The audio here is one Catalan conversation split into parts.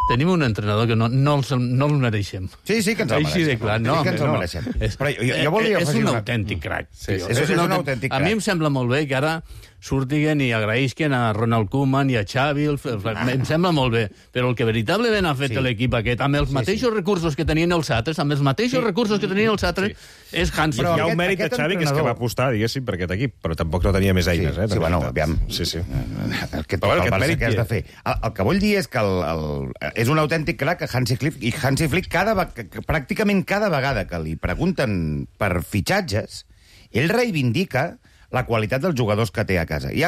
tenim un entrenador que no el mereixem. Sí, que ens el mereixem. Així de clar, no. Sí que ens el mereixem. Però jo volia és afegir un autèntic crac. És un autèntic crac. A mi em sembla molt bé que ara surtiguen i agraïsquen a Ronald Koeman i a Xavi, em sembla molt bé, però el que veritablement ha fet l'equip aquest, amb els mateixos recursos que tenien els altres, és Hansi Flick. Hi ha un mèrit de Xavi, que és que va apostar, diguéssim, per aquest equip, però tampoc no tenia més eines. Sí, bueno, aviam. Sí. Aquest mèrit que has de fer. El que vull dir és que és un autèntic crac que Hansi Flick, i Hansi Flick pràcticament cada vegada que li pregunten per fitxatges, ell reivindica la qualitat dels jugadors que té a casa. I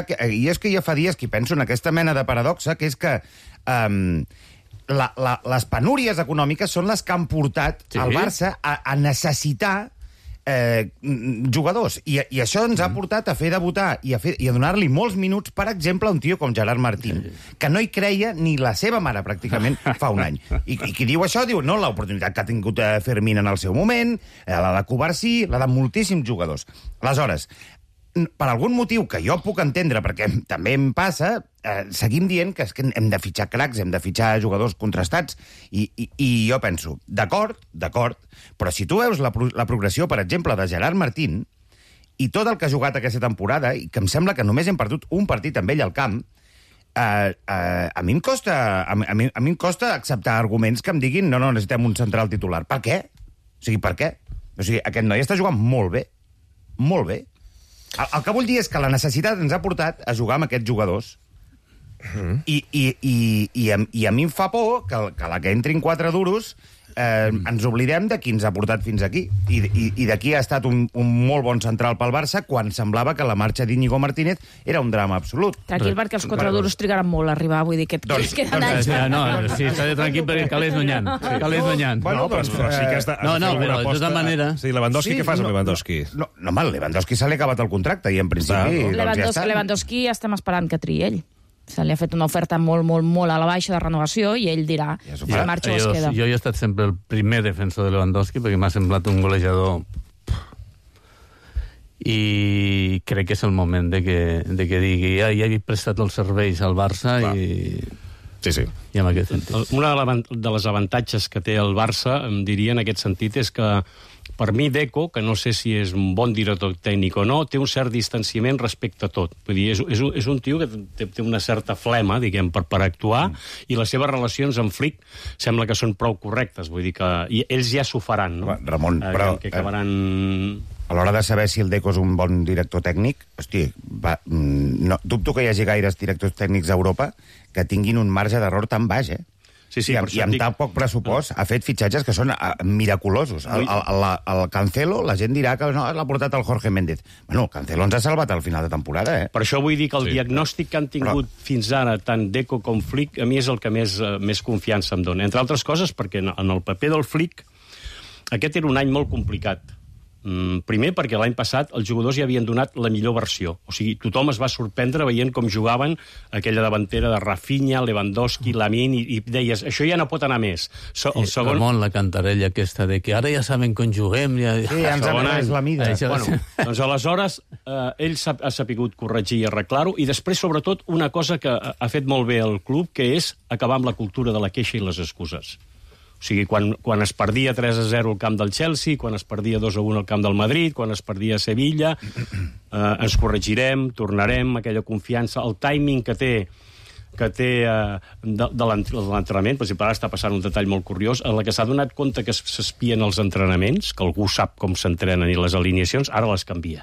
és que jo fa dies que penso en aquesta mena de paradoxa, que és que les penúries econòmiques són les que han portat al Barça a necessitar jugadors. I això ens ha portat a fer debutar i a donar-li molts minuts, per exemple, a un tio com Gerard Martín, que no hi creia ni la seva mare, pràcticament, fa un any. I qui diu això, diu, no, l'oportunitat que ha tingut Fermín en el seu moment, la de Covarsí, la de moltíssims jugadors. Aleshores, per algun motiu que jo puc entendre, perquè també em passa, seguim dient que hem de fitxar cracs, hem de fitxar jugadors contrastats, i jo penso, d'acord, però si tu veus la progressió, per exemple, de Gerard Martín, i tot el que ha jugat aquesta temporada, i que em sembla que només hem perdut un partit amb ell al camp, a mi em costa acceptar arguments que em diguin no, necessitem un central titular. Per què? Per què? Aquest noi està jugant molt bé. Molt bé. El que vull dir és que la necessitat ens ha portat a jugar amb aquests jugadors. I a mi em fa por que la que entrin 4 duros ens oblidem de qui ens ha portat fins aquí. I d'aquí ha estat un molt bon central pel Barça quan semblava que la marxa d'Íñigo Martínez era un drama absolut. Tranquil, perquè els 4 duros trigaran molt a arribar, vull dir que queden anys. Sí, està tranquil perquè calés guanyant. No, però sí que has de fer alguna aposta. De tota manera... Sí, Lewandowski, què fas amb Lewandowski? No, home, Lewandowski se li ha acabat el contracte i en principi... Lewandowski estem esperant que triï ell. Se li ha fet una oferta molt a la baixa de renovació i ell dirà si marxa o es queda. Jo he estat sempre el primer defensor de Lewandowski perquè m'ha semblat un golejador i crec que és el moment de que digui ja he prestat els serveis al Barça i en aquest sentit. Una de les avantatges que té el Barça, em diria en aquest sentit, és que per mi Deco, que no sé si és un bon director tècnic o no, té un cert distanciament respecte a tot. Vull dir, és un tio que té una certa flema, diguem, per actuar, i les seves relacions amb Flick sembla que són prou correctes. Vull dir que ells ja s'ho faran, no? Ramon, però... Que acabaran... A l'hora de saber si el Deco és un bon director tècnic, dubto que hi hagi gaires directors tècnics a Europa que tinguin un marge d'error tan baix, Sí, i amb tan poc pressupost ha fet fitxatges que són miraculosos. El Cancelo, la gent dirà que no, l'ha portat el Jorge Méndez. Bueno, el Cancelo ens ha salvat al final de temporada, Per això vull dir que el diagnòstic que han tingut fins ara, tant Deco com Flick, a mi és el que més confiança em dona. Entre altres coses, perquè en el paper del Flick aquest era un any molt complicat. Primer perquè l'any passat els jugadors ja havien donat la millor versió. O sigui, tothom es va sorprendre veient com jugaven aquella davantera de Rafinha, Lewandowski, Lamine, i deies, això ja no pot anar més. Ramon, la cantarella aquesta de que ara ja saben com juguem... Sí, ens ha pres la mida. Doncs aleshores ell ha sapigut corregir i arreglar-ho, i després, sobretot, una cosa que ha fet molt bé el club, que és acabar amb la cultura de la queixa i les excuses. O sigui, quan es perdia 3-0 al camp del Chelsea, quan es perdia 2-1 al camp del Madrid, quan es perdia a Sevilla, ens corregirem, tornarem, aquella confiança, el timing que té de l'entrenament. Per exemple, ara està passant un detall molt curiós, en la que s'ha donat compte que s'espien els entrenaments, que algú sap com s'entrenen i les alineacions, ara les canvia.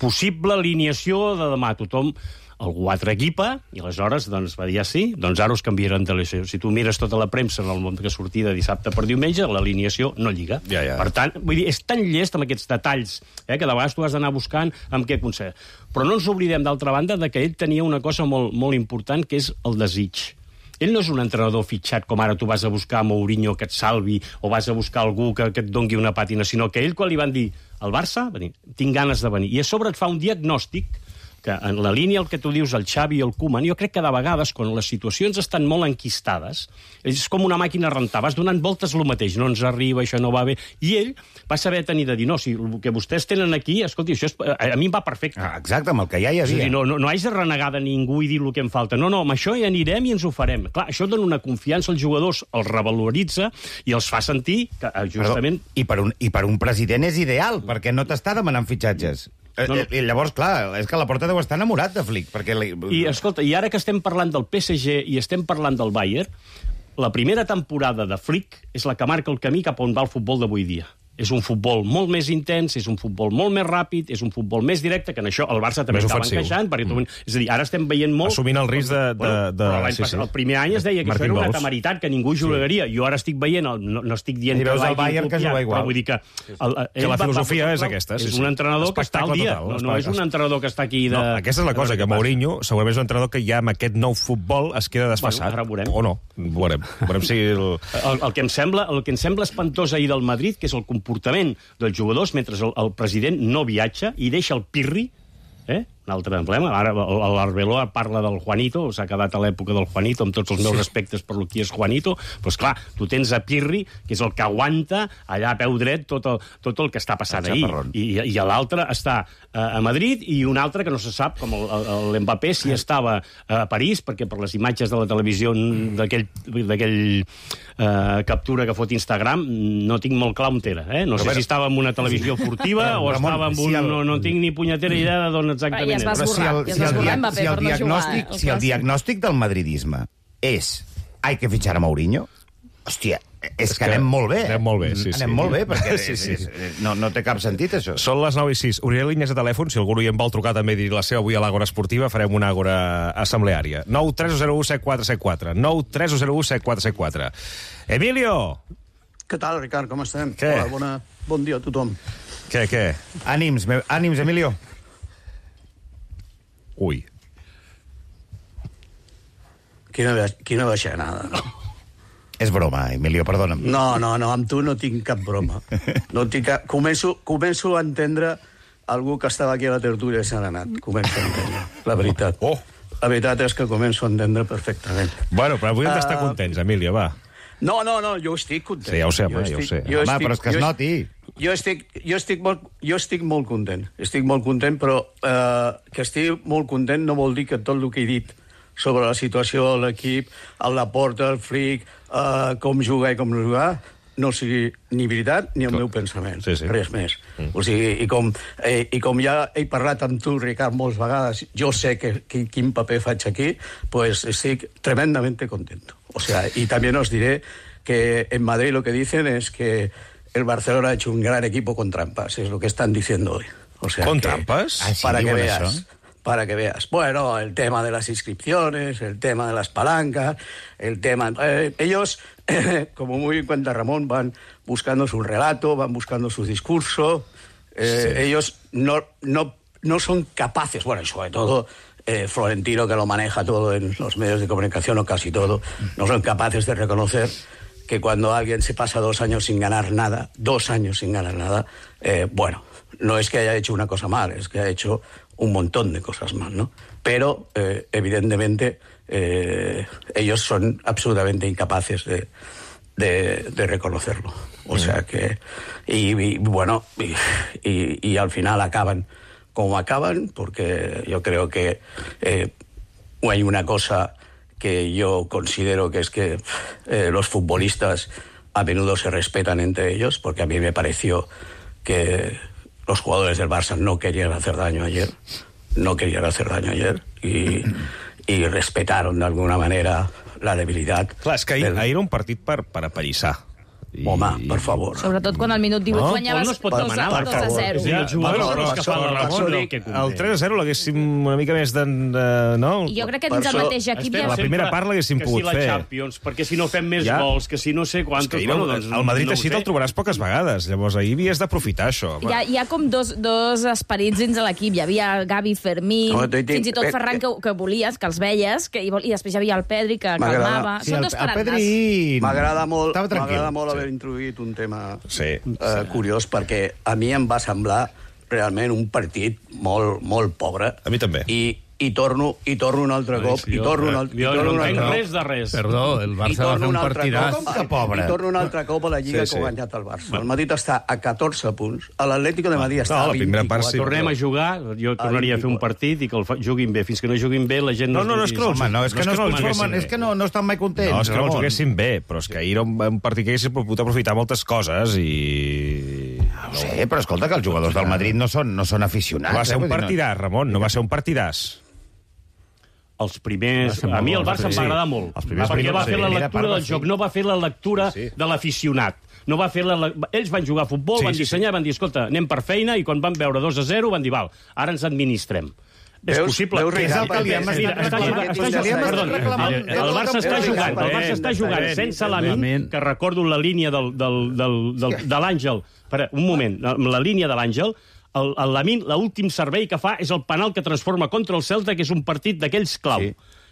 Possible alineació de demà, tothom... Algú altre equipa, i aleshores va dir sí, doncs ara us canviaran de l'alineació. Si tu mires tota la premsa en el món que sortia de dissabte per diumenge, l'alineació no lliga. Per tant, vull dir, és tan llest amb aquests detalls, que de vegades tu has d'anar buscant amb què aconseguir. Però no ens oblidem, d'altra banda, que ell tenia una cosa molt important, que és el desig. Ell no és un entrenador fitxat com ara tu vas a buscar a Mourinho que et salvi o vas a buscar algú que et dongui una pàtina, sinó que ell, quan li van dir al Barça, tinc ganes de venir, i a sobre et fa un diagnòstic que en la línia el que tu dius, el Xavi i el Koeman, jo crec que de vegades, quan les situacions estan molt enquistades, és com una màquina a rentar, vas donant voltes el mateix, no ens arriba, això no va bé, i ell va saber tenir de dir, no, si el que vostès tenen aquí, escolti, això a mi em va perfecte. Exacte, amb el que ja hi havia. És a dir, no haig de renegar de ningú i dir el que em falta. No, amb això hi anirem i ens ho farem. Clar, això dona una confiança als jugadors, els revaloritza i els fa sentir que justament... Perdó, i per un president és ideal, perquè no t'està demanant fitxatges. I llavors, clar, és que la Porta deu estar enamorat de Flick. Perquè I, escolta, i ara que estem parlant del PSG i estem parlant del Bayern, la primera temporada de Flick és la que marca el camí cap on va el futbol d'avui dia. És un futbol molt més intens, és un futbol molt més ràpid, és un futbol més directe, que en això el Barça també estava encaixant. És a dir, ara estem veient molt... Assumint el risc però l'any passat, el primer any es deia que això era una temeritat, que ningú jugaria. Jo ara estic veient, no estic dient que l'hagi copiat, però vull dir que... Que la filosofia és aquesta. És un entrenador que està al dia, no és un entrenador que està aquí de... Aquesta és la cosa, que Mourinho segurament és un entrenador que ja amb aquest nou futbol es queda desfasat. Ara veurem. O no, veurem si... El que em sembla espantós ahir del Madrid, que és el comportament dels jugadors mentre el president no viatja i deixa el pirri, un altre emblema. Ara l'Arbeloa parla del Juanito, s'ha quedat a l'època del Juanito, amb tots els meus respectes per lo que és Juanito, però esclar, tu tens a Pirri, que és el que aguanta allà a peu dret tot el que està passant ahir. I l'altre està a Madrid, i un altre que no se sap, com l'Mbappé, si estava a París, perquè per les imatges de la televisió d'aquell captura que fot Instagram, no tinc molt clar on era. No sé si estava en una televisió furtiva o estava en un... No tinc ni punyetera idea d'on exactament. Ja es va esborrar Mbappé per no jugar. Si el diagnòstic del madridisme és hay que fitxar a Mourinho, hòstia, és que anem molt bé. Anem molt bé, sí. Anem molt bé, perquè no té cap sentit, això. Són les 9:06. Obriré línies de telèfon, si algú hi en vol trucar també i dir la seva avui a l'Àgora Esportiva, farem una àgora assembleària. 9-301-7474. 9-301-7474. Emilio! Què tal, Ricard, com estem? Què? Hola, bon dia a tothom. Què? Ànims, Emilio. Ui. Quina baixanada, no? És broma, Emilio, perdona'm. No, amb tu no tinc cap broma. No tinc cap... Començo a entendre algú que estava aquí a la tertúlia de Sant Anat. Començo a entendre, la veritat. La veritat és que començo a entendre perfectament. Bueno, però avui hem d'estar contents, Emilio, va. No, jo estic content. Sí, ja ho sé, home, ja ho sé. Home, però és que es noti. Jo estic molt content. Estic molt content, però que estic molt content no vol dir que tot el que he dit sobre la situació de l'equip, el Laporta, el Flick, com jugar i com no jugar, no sigui ni veritat ni el meu pensament. Sí. Res més. O sigui, i com ja he parlat amb tu, Ricard, moltes vegades, jo sé quin paper faig aquí, pues estic tremendamente contento. O sea, y también os diré que en Madrid lo que dicen es que el Barcelona ha hecho un gran equipo con trampas, es lo que están diciendo hoy. O sea, ¿con trampas? Para que veas. Para que veas. Bueno, el tema de las inscripciones, el tema de las palancas, el tema... ellos, como muy bien cuenta Ramón, van buscando su relato, van buscando su discurso. Sí. Ellos no son capaces, bueno, y sobre todo Florentino, que lo maneja todo en los medios de comunicación, o casi todo, no son capaces de reconocer que cuando alguien se pasa 2 años sin ganar nada, bueno, no es que haya hecho una cosa mal, es que ha hecho un montón de cosas mal, ¿no? Pero, evidentemente, ellos son absolutamente incapaces de reconocerlo. O sea que... Y bueno, y al final acaban como acaban, porque yo creo que hay una cosa que yo considero que es que los futbolistas a menudo se respetan entre ellos, porque a mí me pareció que los jugadores del Barça no querían hacer daño ayer, y respetaron de alguna manera la debilitat. Clar, és que ahir era un partit per apallissar. Home, per favor. Sobretot quan al minut 18 guanyaves 2-0. El 3-0 l'haguéssim una mica més de... No? Jo crec que dins el mateix equip... La primera part l'haguéssim pogut fer. Que si la Champions, perquè si no fem més gols, que si no sé quantos... El Madrid així te'l trobaràs poques vegades. Llavors ahir havies d'aprofitar això. Hi ha com dos esperits dins de l'equip. Hi havia Gavi, Fermín, fins i tot Ferran, que volies, que els veies, i després hi havia el Pedri, que calmava. Són dos tarannats. M'agrada molt haver introduït un tema curiós, perquè a mi em va semblar realment un partit molt pobre. A mi també. I torno un altre cop, Jo no entenc res de res. Perdó, el Barça va fer un partidàs. Com que pobre? I torno un altre cop a la Lliga que ha guanyat el Barça. El Madrid està a 14 punts, l'Atlético de Madrid està a 24. Tornem a jugar, jo tornaria a fer un partit i que juguin bé. Fins que no juguin bé, la gent... No, és que no estan mai contents. No, és que no els juguessin bé, però és que ahir era un partit que haguessin pogut aprofitar moltes coses i... No sé, però escolta, que els jugadors del Madrid no són aficionats. Va ser un partidàs, Ramon, no va ser un partidàs. Els primers... A mi el Barça em va agradar molt, perquè va fer la lectura del joc, no va fer la lectura de l'aficionat. No va fer ells van jugar a futbol, van dissenyar, van dir, escolta, anem per feina, i quan van veure 2-0 van dir, val, ara ens administrem. És possible. És el que li hem El Barça està jugant sense Lamine, que recordo la línia de l'Àngel. Un moment, la línia de l'Àngel, el Lamine, l'últim servei que fa és el penal que transforma contra el Celta, que és un partit d'aquells clau.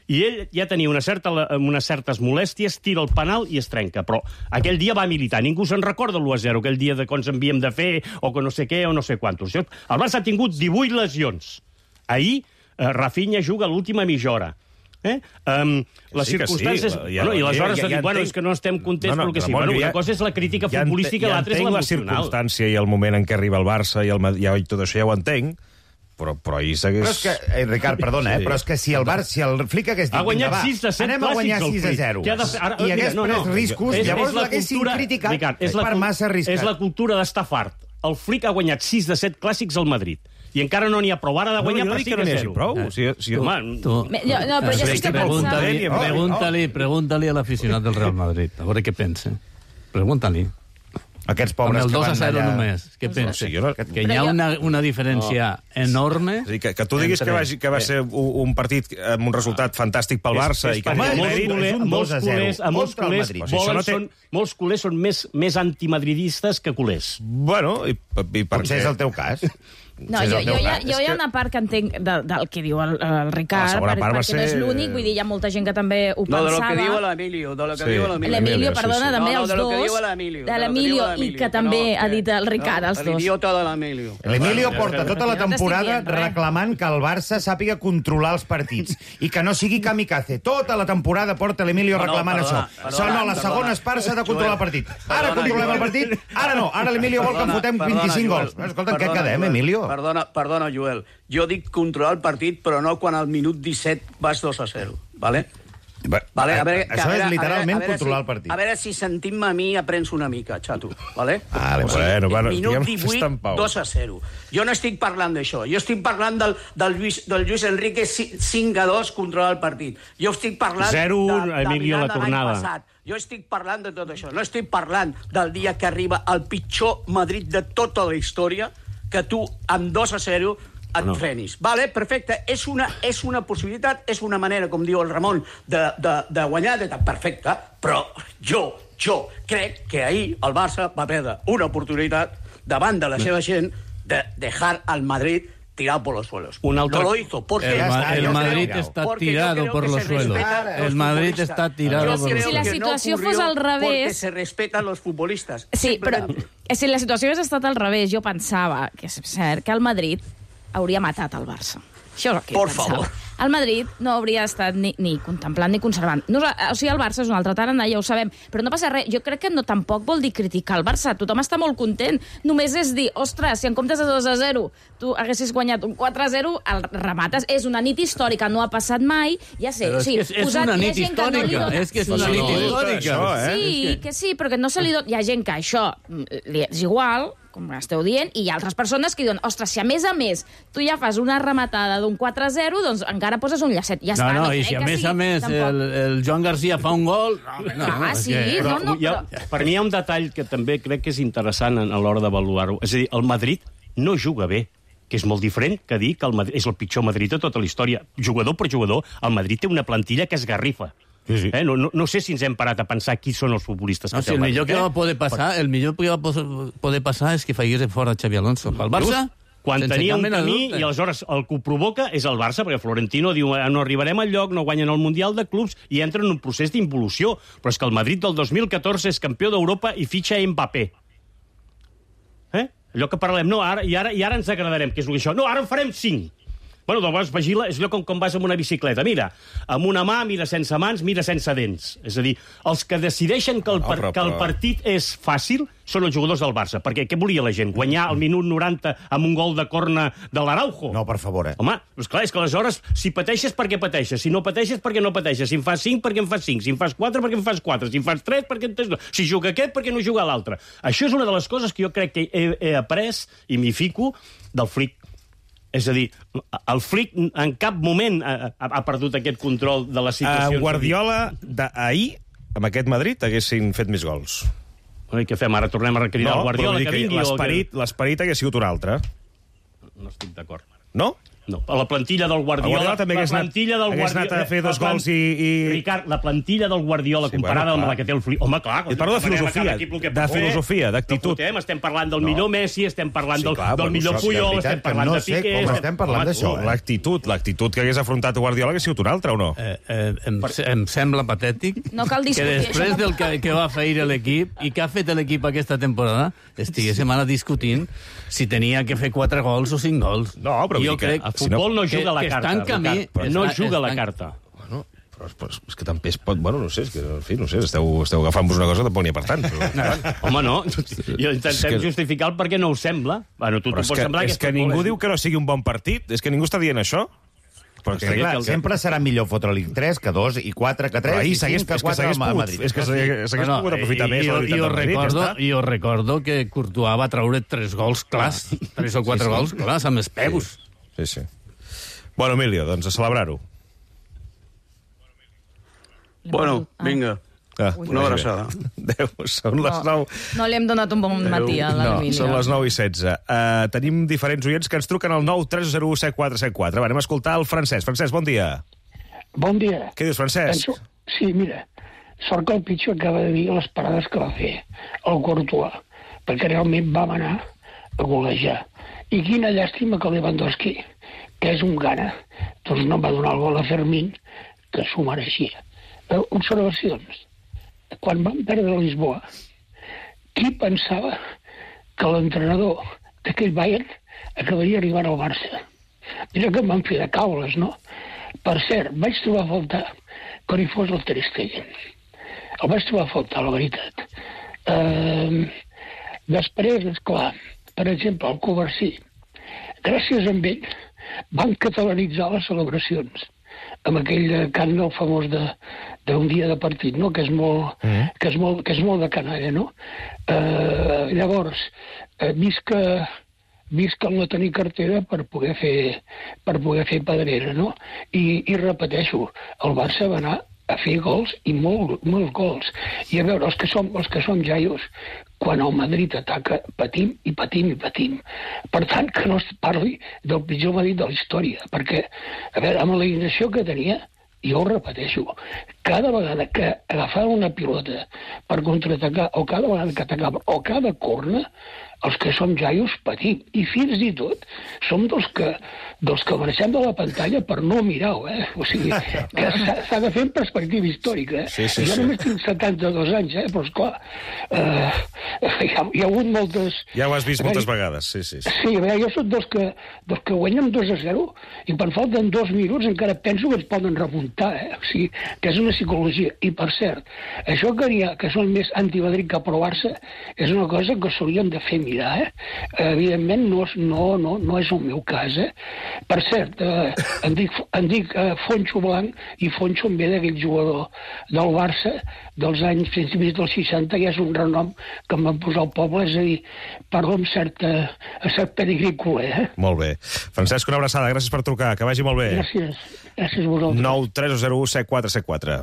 I ell ja tenia unes certes molèsties, tira el penal i es trenca. Però aquell dia va militar. Ningú se'n recorda l'1-0, aquell dia de quan ens havíem de fer, o que no sé què, o no sé quantos. El Barça ha tingut 18 lesions. Ahir, Rafinha juga l'última mitja hora. Les circumstàncies... I aleshores de dir, bueno, és que no estem contents pel que sí. Una cosa és la crítica futbolística i l'altra és l'emocional. La circumstància i el moment en què arriba el Barça i tot això ja ho entenc, però ahir s'hagués... Però és que, Ricard, perdona, però és que si el Flick hagués dit... Ha guanyat 6 de 7 anem a guanyar 6-0. I hagués pres riscos, llavors l'haguessin criticat per massa arriscat. És la cultura d'estar fart. El Flick ha guanyat 6 de 7 clàssics al Madrid. I encara no n'hi ha prou. Ara de guanyar per 5-0. No, però ja s'està pensant... Pregunta-li a l'aficionat del Real Madrid, a veure què pensa. Pregunta-li. Aquests pobres que van allà... Amb el 2-0 només, què pensa? Que hi ha una diferència enorme... Que tu diguis que va ser un partit amb un resultat fantàstic pel Barça i que... Molts culers són més antimadridistes que culers. Bueno, i per què? Potser és el teu cas. No, jo hi ha una part que entenc del que diu el Ricard, perquè no és l'únic, vull dir, hi ha molta gent que també ho pensava. No, de lo que diu l'Emilio. L'Emilio, perdona, també els dos. De l'Emilio, i que també ha dit el Ricard, els dos. L'idiota de l'Emilio. L'Emilio porta tota la temporada reclamant que el Barça sàpiga controlar els partits i que no sigui kamikaze. Tota la temporada porta l'Emilio reclamant això. Sona a les segones parts s'ha de controlar el partit. Ara controlem el partit, ara no. Ara l'Emilio vol que en fotem 25 gols. Escolta, què quedem, Emilio? Perdona, Joel. Jo dic controlar el partit, però no quan al minut 17 vas 2-0, vale? Això és literalment controlar el partit. A veure si sentint-me a mi aprens una mica, xato, vale? Bueno, minut 18, 2-0. Jo no estic parlant d'això. Jo estic parlant del Luis Enrique 5-2 controlar el partit. Jo estic parlant 0-1, Emilio, la tornada. Jo estic parlant de tot això. No estic parlant del dia que arriba el pitjor Madrid de tota la història, que tu, amb 2-0, et frenis. Vale, perfecte. És una possibilitat, és una manera, com diu el Ramon, de guanyar, perfecte, però jo crec que ahir el Barça va perdre una oportunitat davant de la seva gent de dejar al Madrid tirado por los suelos. No lo hizo porque el Madrid está tirado por los suelos. El Madrid está tirado por los suelos. Si la situació fos al revés... Porque se respetan los futbolistas. Sí, però si la situació hagués estat al revés, jo pensava, que és cert, que el Madrid hauria matat el Barça. Això és el que por favor. El Madrid no hauria estat ni contemplant ni conservant. O sigui, el Barça és un altre tarannà, ja ho sabem, però no passa res. Jo crec que no tampoc vol dir criticar el Barça. Tothom està molt content. Només és dir, ostres, si en comptes de 2-0 tu haguessis guanyat un 4-0, el remates. És una nit històrica, no ha passat mai. Ja sé, però és una nit històrica. És que és una nit històrica. Sí, que sí, però que no se li dona... Hi ha gent que això li és igual, com esteu dient, i hi ha altres persones que diuen, ostres, si a més tu ja fas una rematada d'un 4-0, doncs encara poses un llacet. Ja està, no, i si a més el Joan Garcia fa un gol... Per mi hi ha un detall que també crec que és interessant a l'hora d'avaluar-ho. És a dir, el Madrid no juga bé, que és molt diferent que dir que el Madrid és el pitjor Madrid de tota la història. Jugador per jugador, el Madrid té una plantilla que es garrifa. Sí. No sé si ens hem parat a pensar qui són els futbolistes que té el millor que va poder passar, poder passar és que faigués fora Xavi Alonso. El Barça, quan tenia un camí, i aleshores el que ho provoca és el Barça, perquè Florentino diu no arribarem al lloc, no guanyen el Mundial de Clubs i entra en un procés d'involució. Però és que el Madrid del 2014 és campió d'Europa i fitxa Mbappé. Allò que parlem, no, ara ens agradarem, que és això. No, ara en farem 5. Bueno, doncs vigila, és allò com vas amb una bicicleta. Mira, amb una mà, mira sense mans, mira sense dents. És a dir, els que decideixen que el partit és fàcil són els jugadors del Barça. Perquè què volia la gent? Guanyar al minut 90 amb un gol de corna de l'Araujo? No, per favor, Home, doncs clar, és que aleshores, si pateixes, per què pateixes? Si no pateixes, per què no pateixes? Si en fas 5, per què en fas 5? Si en fas 4, per què en fas 4? Si en fas 3, per què en tens 2? Si juga aquest, per què no juga l'altre? Això és una de les coses que jo crec que he après, i m'hi fico, del Flick. És a dir, el Flick en cap moment ha perdut aquest control de les situacions. Guardiola d'ahir, amb aquest Madrid, haguessin fet més gols. I què fem? Ara tornem a cridar el Guardiola que vingui? L'esperit hagués sigut un altre. No estic d'acord. No? No, a la plantilla del Guardiola... també hagués anat a fer 2 gols i... Ricard, la plantilla del Guardiola comparada amb la que té el Flick... Home, clar... I parlo de filosofia, d'actitud. Estem parlant del millor Messi, estem parlant del millor Puyol, estem parlant de Piqué... No sé com estem parlant d'això. L'actitud que hagués afrontat Guardiola hagués sigut un altre, o no? Em sembla patètic que després del que va fer l'equip i que ha fet l'equip aquesta temporada estiguéssim ara discutint si tenia que fer 4 gols o 5 gols. No, però jo crec... El futbol no juga la carta. No juga la carta. Bueno, però és que també es pot... Bueno, no sé, és que, en fi, no sé, esteu agafant-vos una cosa que tampoc n'hi ha per tant. Però... Home, no. Jo intentem justificar el perquè no us sembla. Bueno, tu pots semblar és que ningú diu que no sigui un bon partit. És que ningú està dient això. Però clar, sempre serà millor fotre-li 3 que 2 i 4 que 3 i 5 que 4 a Madrid. És que s'hagués pogut aprofitar més la veritat del Madrid. Jo recordo que Courtois va treure 3 gols clars, 3 o 4 gols clars amb els peus. Sí. Bueno, Emilio, doncs a celebrar-ho. Bueno, vinga. Una abraçada. Adéu, són les 9. No li hem donat un bon matí a l'Emilio. No, són les 9:16. Tenim diferents oients que ens truquen al 9301474. Anem a escoltar el Francesc. Francesc, bon dia. Bon dia. Què dius, Francesc? Sí, mira, sort que el pitjor acaba de dir les parades que va fer el Courtois, perquè realment vam anar a golejar. I quina llàstima que Lewandowski, que és un gana, doncs no va donar el gol a Fermín, que s'ho mereixia. Observacions. Quan vam perdre a Lisboa, qui pensava que l'entrenador d'aquell Bayern acabaria arribant al Barça? Mira que em van fer de caules, no? Per cert, vaig trobar a faltar que no hi fos el Ter Stegen. El vaig trobar a faltar, la veritat. Després, esclar, per exemple, el Covarsí. Gràcies a ell van catalanitzar les celebracions amb aquell cant del famós d'un dia de partit, no? que és molt de canalla, no? Llavors, visca el no tenir cartera per poder fer pedrera, no? I repeteixo, el Barça va anar a fer gols i molts gols. I a veure, els que som jaios, quan el Madrid ataca, patim i patim i patim. Per tant, que no es parli del pitjor Madrid de la història, perquè, a veure, amb la inacció que tenia, jo ho repeteixo, cada vegada que agafava una pilota per contraatacar, o cada vegada que atacava, o cada corna, els que som jaios patim. I fins i tot som dels que marxem de la pantalla per no mirar-ho, O sigui, que s'ha de fer en perspectiva històrica, Sí. Jo només tinc 72 anys, però esclar, hi ha hagut moltes... Ja ho has vist moltes vegades, sí. Sí, a veure, jo soc dels que guanyen 2-0 i quan falten 2 minuts encara penso que ens poden remuntar, O sigui, que és una psicologia. I, per cert, això que són més anti-Madrid que pro-Barça és una cosa que s'haurien de fer mirar, Evidentment no és el meu cas, Per cert, em dic Fonxo Blanc i Fonxo em ve d'aquell jugador del Barça dels anys principis dels 60, i és un renom que em van posar al poble, és a dir, parlo amb cert pedigrí culer, Molt bé. Francesc, una abraçada, gràcies per trucar, que vagi molt bé. Gràcies a vosaltres. 9301474.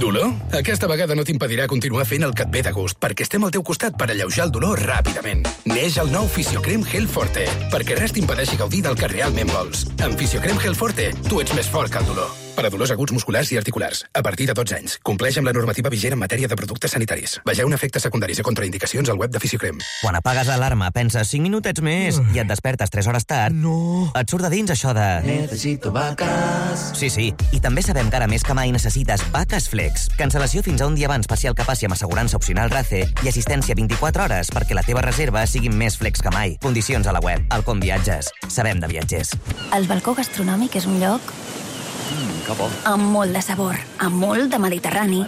Dolor? Aquesta vegada no t'impedirà continuar fent el que et ve de gust, perquè estem al teu costat per alleujar el dolor ràpidament. Neix el nou Fisiocrem Gel Forte, perquè res t'impedeixi gaudir del que realment vols. Amb Fisiocrem Gel Forte, tu ets més fort que el dolor. per a dolors aguts musculars i articulars. A partir de 12 anys. Compleix amb la normativa vigent en matèria de productes sanitaris. Vegeu efectes secundaris i contraindicacions al web de Fisiocrem. Quan apagues l'alarma, penses 5 minutets més i et despertes 3 hores tard. No. Et surt de dins això de... Necesito vacas. Sí. I també sabem que ara més que mai necessites Vacas Flex. Cancel·lació fins a un dia abans parcial que passi amb assegurança opcional RACE i assistència 24 hores perquè la teva reserva sigui més flex que mai. Condicions a la web. Alcom Viatges. Sabem de viatgers. El balcó gastronòmic és un lloc amb molt de sabor, amb molt de Mediterrani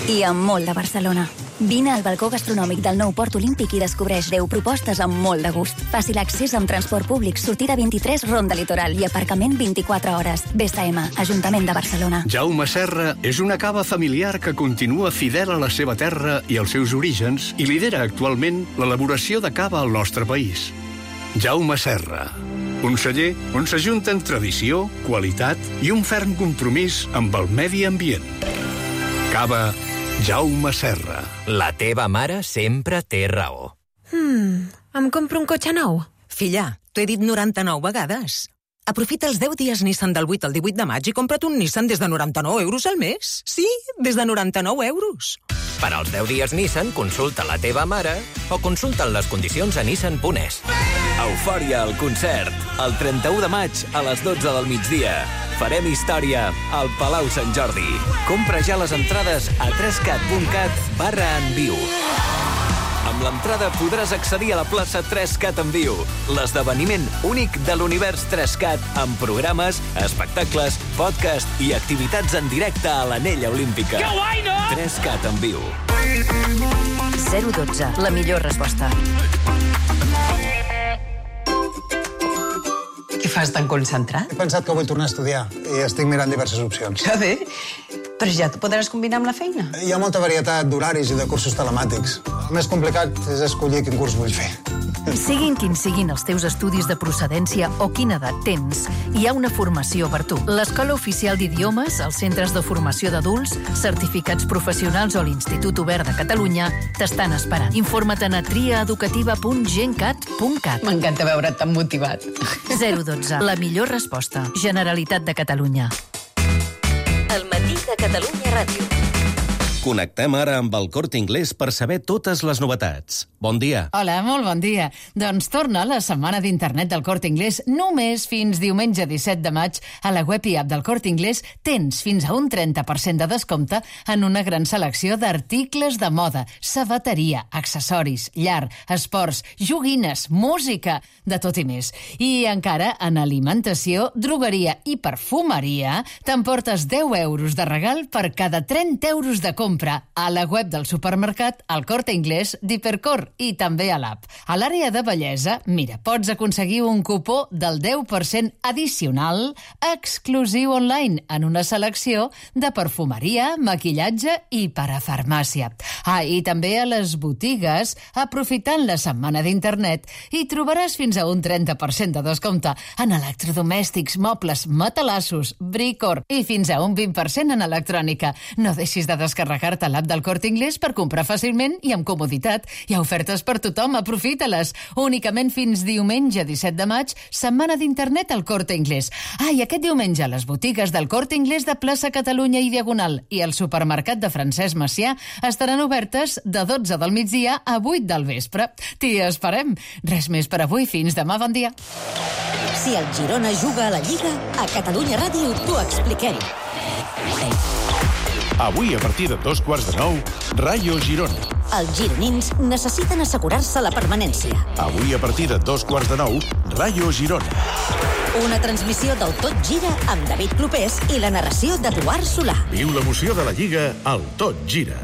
i amb molt de Barcelona. Vine al balcó gastronòmic del nou Port Olímpic i descobreix 10 propostes amb molt de gust. Fàcil accés amb transport públic, sortida 23, Ronda Litoral i aparcament 24 hores. BSM, Ajuntament de Barcelona. Jaume Serra és una cava familiar que continua fidel a la seva terra i als seus orígens i lidera actualment l'elaboració de cava al nostre país. Jaume Serra, un celler on s'ajunten tradició, qualitat i un ferm compromís amb el medi ambient. Cava Jaume Serra. La teva mare sempre té raó. Em compro un cotxe nou? Filla, t'ho he dit 99 vegades. Aprofita els 10 dies Nissan del 8 al 18 de maig i compra't un Nissan des de 99 euros al mes. Sí, des de 99 euros. Per als 10 dies Nissan, consulta la teva mare o consulta les condicions a nissan.es. Eufòria al concert. El 31 de maig a les 12 del migdia. Farem història al Palau Sant Jordi. Compra ja les entrades a 3cat.cat/enviu. Amb l'entrada podràs accedir a la plaça 3Cat en viu, l'esdeveniment únic de l'univers 3Cat amb programes, espectacles, podcast i activitats en directe a l'Anella Olímpica. Que guai, no? 3Cat en viu. 012, la millor resposta. Què fas tan concentrat? He pensat que vull tornar a estudiar i estic mirant diverses opcions. Que bé. Però ja t'ho podràs combinar amb la feina. Hi ha molta varietat d'horaris i de cursos telemàtics. El més complicat és escollir quin curs vull fer. Siguin quins siguin els teus estudis de procedència o quina edat tens, hi ha una formació per tu. L'Escola Oficial d'Idiomes, els centres de formació d'adults, certificats professionals o l'Institut Obert de Catalunya t'estan esperant. Informa't a triaeducativa.gencat.cat. M'encanta veure't tan motivat. 012, la millor resposta. Generalitat de Catalunya. El matí de Catalunya Ràdio. Connectem ara amb el Corte Inglés per saber totes les novetats. Bon dia. Hola, molt bon dia. Doncs torna la setmana d'internet del Corte Inglés només fins diumenge 17 de maig. A la web i app del Corte Inglés tens fins a un 30% de descompte en una gran selecció d'articles de moda, sabateria, accessoris, llar, esports, joguines, música, de tot i més. I encara en alimentació, drogueria i perfumeria t'emportes 10 euros de regal per cada 30 euros de compra a la web del supermercat, al Corte Inglés d'Hipercor i també a l'app. A l'àrea de bellesa, mira, pots aconseguir un cupó del 10% addicional exclusiu online en una selecció de perfumeria, maquillatge i parafarmàcia. I també a les botigues, aprofitant la setmana d'internet, hi trobaràs fins a un 30% de descompte en electrodomèstics, mobles, matalassos, bricor i fins a un 20% en electrònica. No deixis de descarregar-te l'app del Corte Inglés per comprar fàcilment i amb comoditat. Hi ha ofertes per tothom, aprofita-les. Únicament fins diumenge 17 de maig, setmana d'internet al Corte Inglés. I aquest diumenge les botigues del Corte Inglés de plaça Catalunya i Diagonal i el supermercat de Francesc Macià estaran obertes de 12 del migdia a 8 del vespre. T'hi esperem. Res més per avui. Fins demà. Bon dia. Si el Girona juga a la Lliga, a Catalunya Ràdio t'ho expliquem. Avui, a partir de 9:15, Rayo Girona. Els gironins necessiten assegurar-se la permanència. Avui, a partir de 9:15, Rayo Girona. Una transmissió del Tot Gira amb David Clopés i la narració d'Eduard Solà. Viu l'emoció de la Lliga al Tot Gira.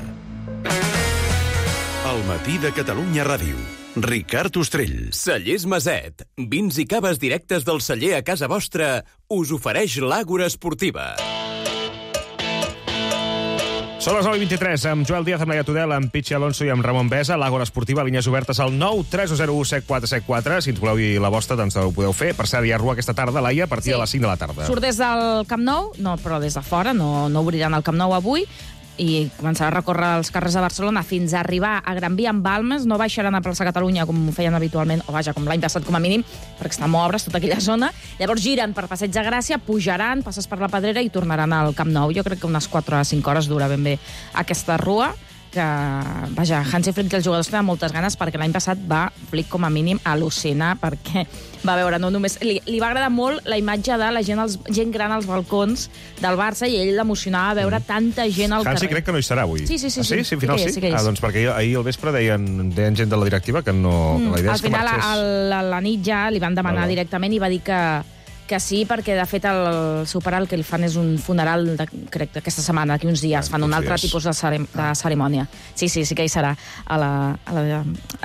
El matí de Catalunya Ràdio. Ricard Ostrell. Cellers Maset. Vins i caves directes del celler a casa vostra us ofereix l'Àgora Esportiva. Són les 9:23, amb Joel Díaz, amb Laia Tudel, amb Pichi Alonso i amb Ramon Besa. L'Àgora Esportiva, línies obertes al 930017474. Si ens voleu dir la vostra, doncs ho podeu fer. Per cert, hi ha rua aquesta tarda, Laia, a partir de les 5 de la tarda. Surt des del Camp Nou, no, però des de fora, no obriran el Camp Nou avui. i començarà a recórrer els carrers de Barcelona fins a arribar a Gran Via amb Balmes. No baixaran a plaça Catalunya com ho feien habitualment, o vaja, com l'any passat com a mínim, perquè està molt obres tota aquella zona. Llavors giren per Passeig de Gràcia, pujaran, passes per la Pedrera i tornaran al Camp Nou. Jo crec que unes 4 o 5 hores dura ben bé aquesta rua, que, vaja, Hansi Flick i els jugadors tenen moltes ganes, perquè l'any passat va Flick com a mínim al·lucinar, perquè va veure, no només... Li va agradar molt la imatge de la gent gran als balcons del Barça, i ell l'emocionava veure tanta gent al carrer. Hansi crec que no hi serà avui. Sí. Sí, al final sí? Sí que hi és. Doncs perquè ahir al vespre deien gent de la directiva que no... La idea al és que final, marxés. a la nit ja li van demanar directament i va dir que sí, perquè de fet el seu pare el que li fan és un funeral, crec, aquesta setmana, d'aquí uns dies, fan un altre tipus de cerimònia. Sí que hi serà a la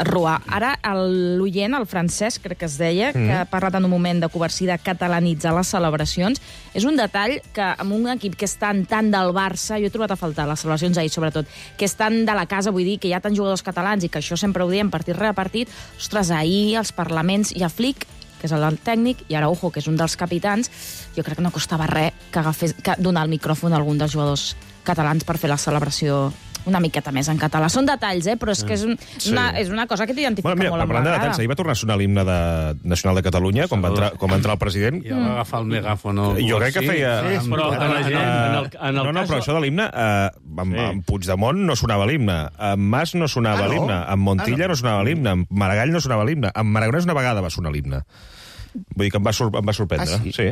rua. Ara, l'oient, el Francesc, crec que es deia, que ha parlat en un moment de coercí de catalanitzar les celebracions. És un detall que amb un equip que és tan del Barça, jo he trobat a faltar, les celebracions ahir sobretot, que és tan de la casa, vull dir, que hi ha tants jugadors catalans i que això sempre ho diem partit rere partit, ostres, ahir els parlaments i a Flick, que és el tècnic, i Araujo, que és un dels capitans, jo crec que no costava res que donar el micròfon a algun dels jugadors catalans per fer la celebració una miqueta més en català. Són detalls, però és que és una cosa que t'identifica molt amb parlant de detalls, ahir va tornar a sonar l'himne nacional de Catalunya, com va entrar el president. I va agafar el megàfon. Jo crec que feia... Però però això de l'himne, amb Puigdemont no sonava l'himne, amb Mas no sonava l'himne, amb Montilla no sonava l'himne, amb Maragall no sonava l'himne, amb Aragonès una vegada va sonar l'himne. Vull dir que em va sorprendre. Sí.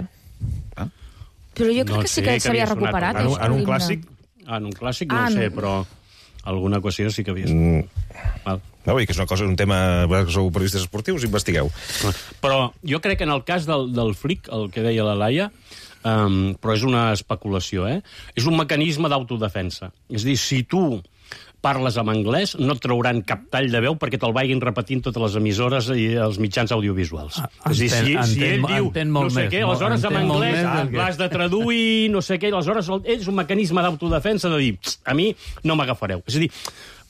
Però jo crec que sí que s'havia recuperat. En un clàssic? En un clàssic no ho sé, però alguna qüestió sí que havia estat. No, vull dir que és una cosa, un tema... Que sou periodistes esportius, investigueu. Però jo crec que en el cas del Flick, el que deia la Laia, però és una especulació, és un mecanisme d'autodefensa. És a dir, si tu parles en anglès, no et trauran cap tall de veu perquè te'l vagin repetint totes les emissores i els mitjans audiovisuals. És a dir, si ell diu no sé què, aleshores en anglès l'has de traduir, no sé què, aleshores és un mecanisme d'autodefensa de dir, a mi no m'agafareu. És a dir,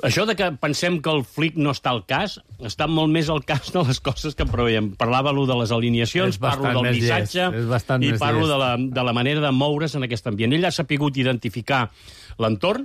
això de que pensem que el Flick no està al cas, està molt més al cas de les coses que preveiem. Parlava de les alineacions, parlo del missatge i parlo de la manera de moure's en aquest ambient. Ell ha sapigut identificar l'entorn,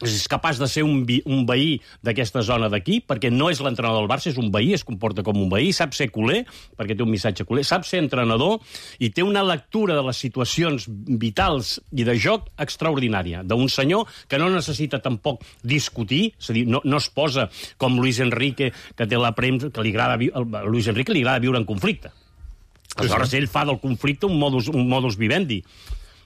és capaç de ser un veí d'aquesta zona d'aquí, perquè no és l'entrenador del Barça, és un veí, es comporta com un veí, sap ser culer, perquè té un missatge culer, sap ser entrenador i té una lectura de les situacions vitals i de joc extraordinària, d'un senyor que no necessita tampoc discutir, és a dir, no es posa com Luis Enrique, que té la premsa, que a Luis Enrique li agrada viure en conflicte. Aleshores, ell fa del conflicte un modus vivendi.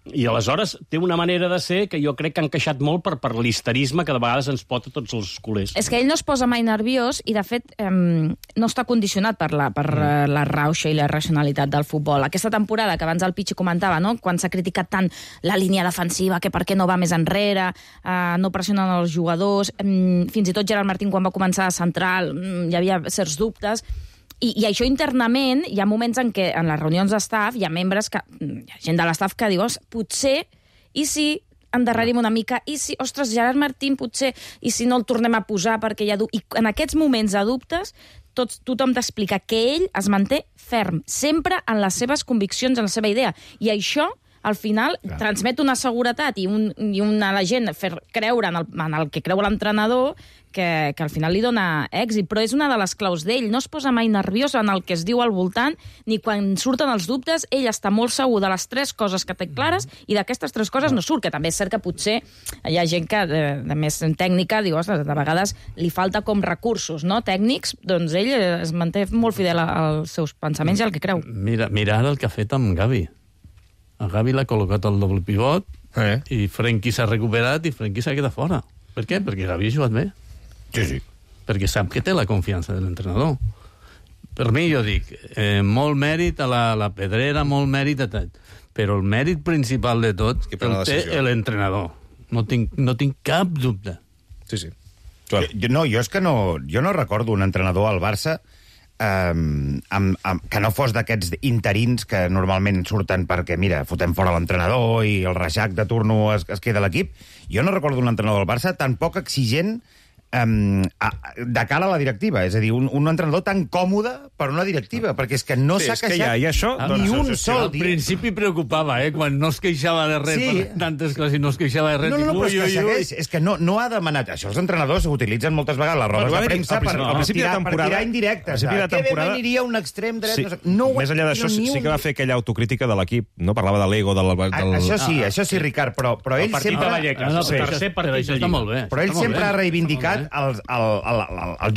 I aleshores té una manera de ser que jo crec que ha encaixat molt per l'histerisme que de vegades ens pot a tots els culers. És que ell no es posa mai nerviós i, de fet, no està condicionat per la rauxa i la racionalitat del futbol. Aquesta temporada, que abans el Pichi comentava, no? Quan s'ha criticat tant la línia defensiva, que per què no va més enrere, no pressionen els jugadors, fins i tot Gerard Martín, quan va començar a central, hi havia certs dubtes. I això internament, hi ha moments en què en les reunions d'estaf hi ha membres, hi ha gent de l'estaf que diu, potser, i si endarrerim una mica, i si, ostres, Gerard Martín, potser, i si no el tornem a posar perquè hi ha I en aquests moments de dubtes, tothom t'explica que ell es manté ferm, sempre en les seves conviccions, en la seva idea. I això, al final, transmet una seguretat i a la gent fer creure en el que creu l'entrenador, que al final li dona èxit, però és una de les claus d'ell. No es posa mai nerviós en el que es diu al voltant, ni quan surten els dubtes, ell està molt segur de les 3 coses que té clares i d'aquestes 3 coses no surt, que també és cert que potser hi ha gent que de més tècnica diu, ostres, de vegades li falta com recursos, no?, tècnics, doncs ell es manté molt fidel als seus pensaments i al que creu. Mira ara el que ha fet amb Gavi. A Gavi l'ha col·locat al doble pivot i Frenkie s'ha recuperat i Frenkie s'ha quedat fora. Per què? Perquè Gavi ha jugat bé. Sí. Perquè sap que té la confiança de l'entrenador. Per mi, jo dic, molt mèrit a la Pedrera, molt mèrit a tot. Però el mèrit principal de tot el té l'entrenador. No tinc cap dubte. Sí. Jo és que jo no recordo un entrenador al Barça que no fos d'aquests interins que normalment surten perquè, mira, fotem fora l'entrenador i el reixac de turno es queda a l'equip. Jo no recordo un entrenador del Barça tan poc exigent de cara a la directiva. És a dir, un entrenador tan còmode per una directiva, perquè és que no s'ha queixat ni un sol dia. Al principi preocupava, quan no es queixava de res, per tantes coses, i no es queixava de res. No, però és que segueix. És que no ha demanat... Això els entrenadors utilitzen moltes vegades les rodes de premsa per tirar indirectes. Que bé m'aniria un extrem dret... Més enllà d'això, sí que va fer aquella autocrítica de l'equip, no? Parlava de l'ego, Això sí, Ricard, però ell sempre... Però ell sempre ha reivindicat els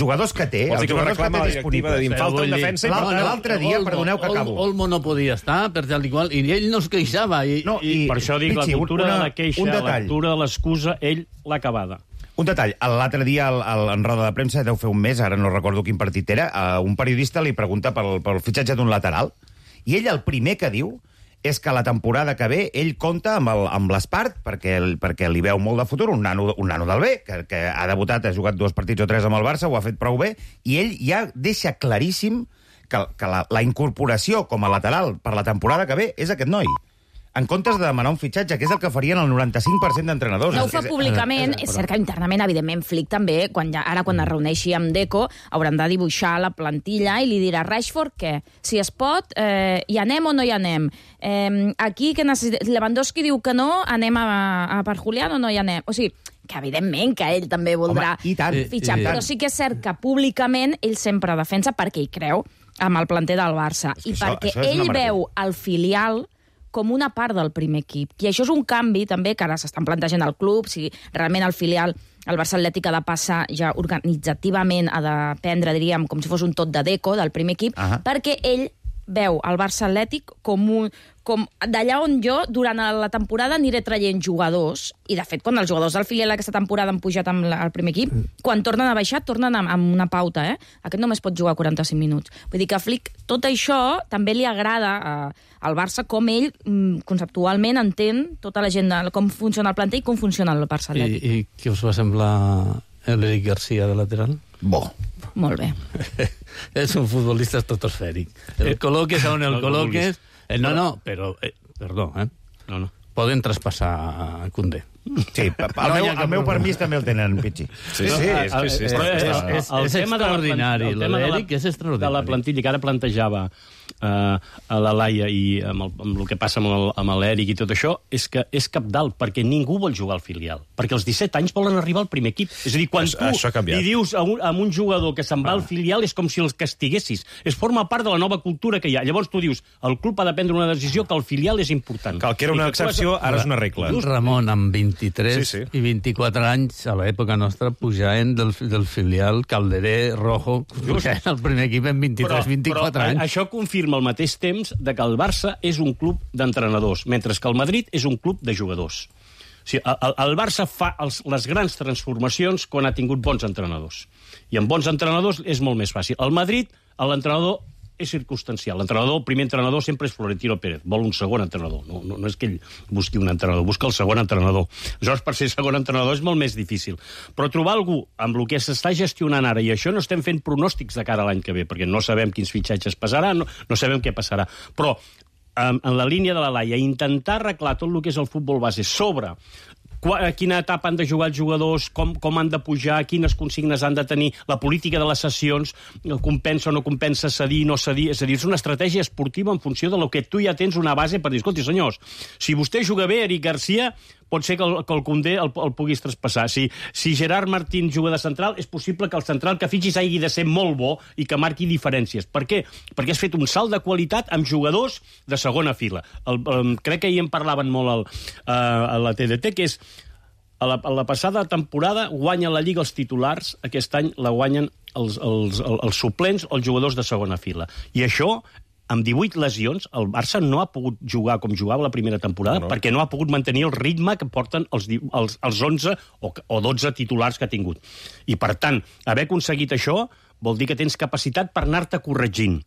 jugadors que té, els jugadors que té disponibles. Falta en defensa. L'altre dia, perdoneu que acabo. Olmo no podia estar, per tal i qual, i ell no es queixava. Per això dic, la cultura de la queixa, la cultura de l'excusa, ell l'ha acabada. Un detall. L'altre dia, en roda de premsa, deu fer un mes, ara no recordo quin partit era, un periodista li pregunta pel fitxatge d'un lateral, i ell el primer que diu és que la temporada que ve ell compta amb l'Espart, perquè li veu molt de futur, un nano del B, que ha debutat, ha jugat 2 partits o 3 amb el Barça, ho ha fet prou bé, i ell ja deixa claríssim que la incorporació com a lateral per la temporada que ve és aquest noi. En comptes de demanar un fitxatge, que és el que farien el 95% d'entrenadors. No ho fa públicament, és cert que internament, evidentment, Flick també, quan es reuneixi amb Deco, hauran de dibuixar la plantilla i li dirà, Rashford, què? Si es pot, hi anem o no hi anem? Aquí, que Lewandowski diu que no, anem a per Julián o no hi anem? O sigui, que evidentment que ell també voldrà fitxar, però sí que és cert que públicament ell sempre defensa perquè hi creu amb el planter del Barça i perquè ell veu el filial com una part del primer equip. I això és un canvi, també, que ara s'estan plantejant al club, si realment el filial, el Barça Atlètic, ha de passar ja organitzativament, ha de prendre, diríem, com si fos un tot de Deco del primer equip, perquè ell veu el Barça Atlètic com d'allà on jo, durant la temporada, aniré traient jugadors, i de fet, quan els jugadors del filial aquesta temporada han pujat amb el primer equip, quan tornen a baixar, tornen amb una pauta, Aquest només pot jugar 45 minuts. Vull dir que a Flick tot això també li agrada al Barça, com ell conceptualment entén tota la gent, com funciona el planter i com funciona el Barça Atlètic. I què us va semblar l'Eric Garcia de lateral? Bo. Molt bé. És un futbolista estratosfèric. El col·loques on el col·loques... No, però... Perdó, No. Poden traspassar a Koundé. Sí, el meu permís també el tenen, Pichi. Sí. El tema extraordinari. L'Eric és extraordinari. De la plantilla que ara plantejava a la Laia i amb el que passa amb l'Eric i tot això, és que és cabdal, perquè ningú vol jugar al filial. Perquè als 17 anys volen arribar al primer equip. És a dir, quan tu li dius a un jugador que se'n va al filial és com si els castiguessis. Es forma part de la nova cultura que hi ha. Llavors tu dius, el club ha de prendre una decisió que el filial és important. Que era una excepció, ara és una regla. Ramon, amb 23 i 24 anys, a l'època nostra, pujaven del filial Calderé, Rojo, pujaven al primer equip en 23-24 anys. Això confirma al mateix temps de que el Barça és un club d'entrenadors, mentre que el Madrid és un club de jugadors. O sigui, el Barça fa les grans transformacions quan ha tingut bons entrenadors. I amb bons entrenadors és molt més fàcil. Al Madrid, l'entrenador és circumstancial. El primer entrenador sempre és Florentino Pérez. Vol un segon entrenador. No és que ell busqui un entrenador, busca el segon entrenador. Aleshores, per ser segon entrenador és molt més difícil. Però trobar algú amb el que s'està gestionant ara, i això no estem fent pronòstics de cara a l'any que ve, perquè no sabem quins fitxatges passarà, no sabem què passarà. Però, en la línia de la Laia, intentar arreglar tot el que és el futbol base sobre a quina etapa han de jugar els jugadors, com han de pujar, quines consignes han de tenir, la política de les sessions, compensa o no compensa cedir, no cedir. És a dir, és una estratègia esportiva en funció de lo que tu ja tens una base per dir, escolti, senyors, si vostè juga bé, Eric Garcia, pot ser que el Koundé el puguis traspassar. Si Gerard Martín juga de central, és possible que el central que fitxis hagi de ser molt bo i que marqui diferències. Per què? Perquè has fet un salt de qualitat amb jugadors de segona fila. Crec que ahir en parlaven molt a la TDT, que és a la passada temporada guanya la Lliga els titulars, aquest any la guanyen els suplents o els jugadors de segona fila. I això, amb 18 lesions, el Barça no ha pogut jugar com jugava la primera temporada perquè no ha pogut mantenir el ritme que porten els 11 o 12 titulars que ha tingut. I, per tant, haver aconseguit això vol dir que tens capacitat per anar-te corregint.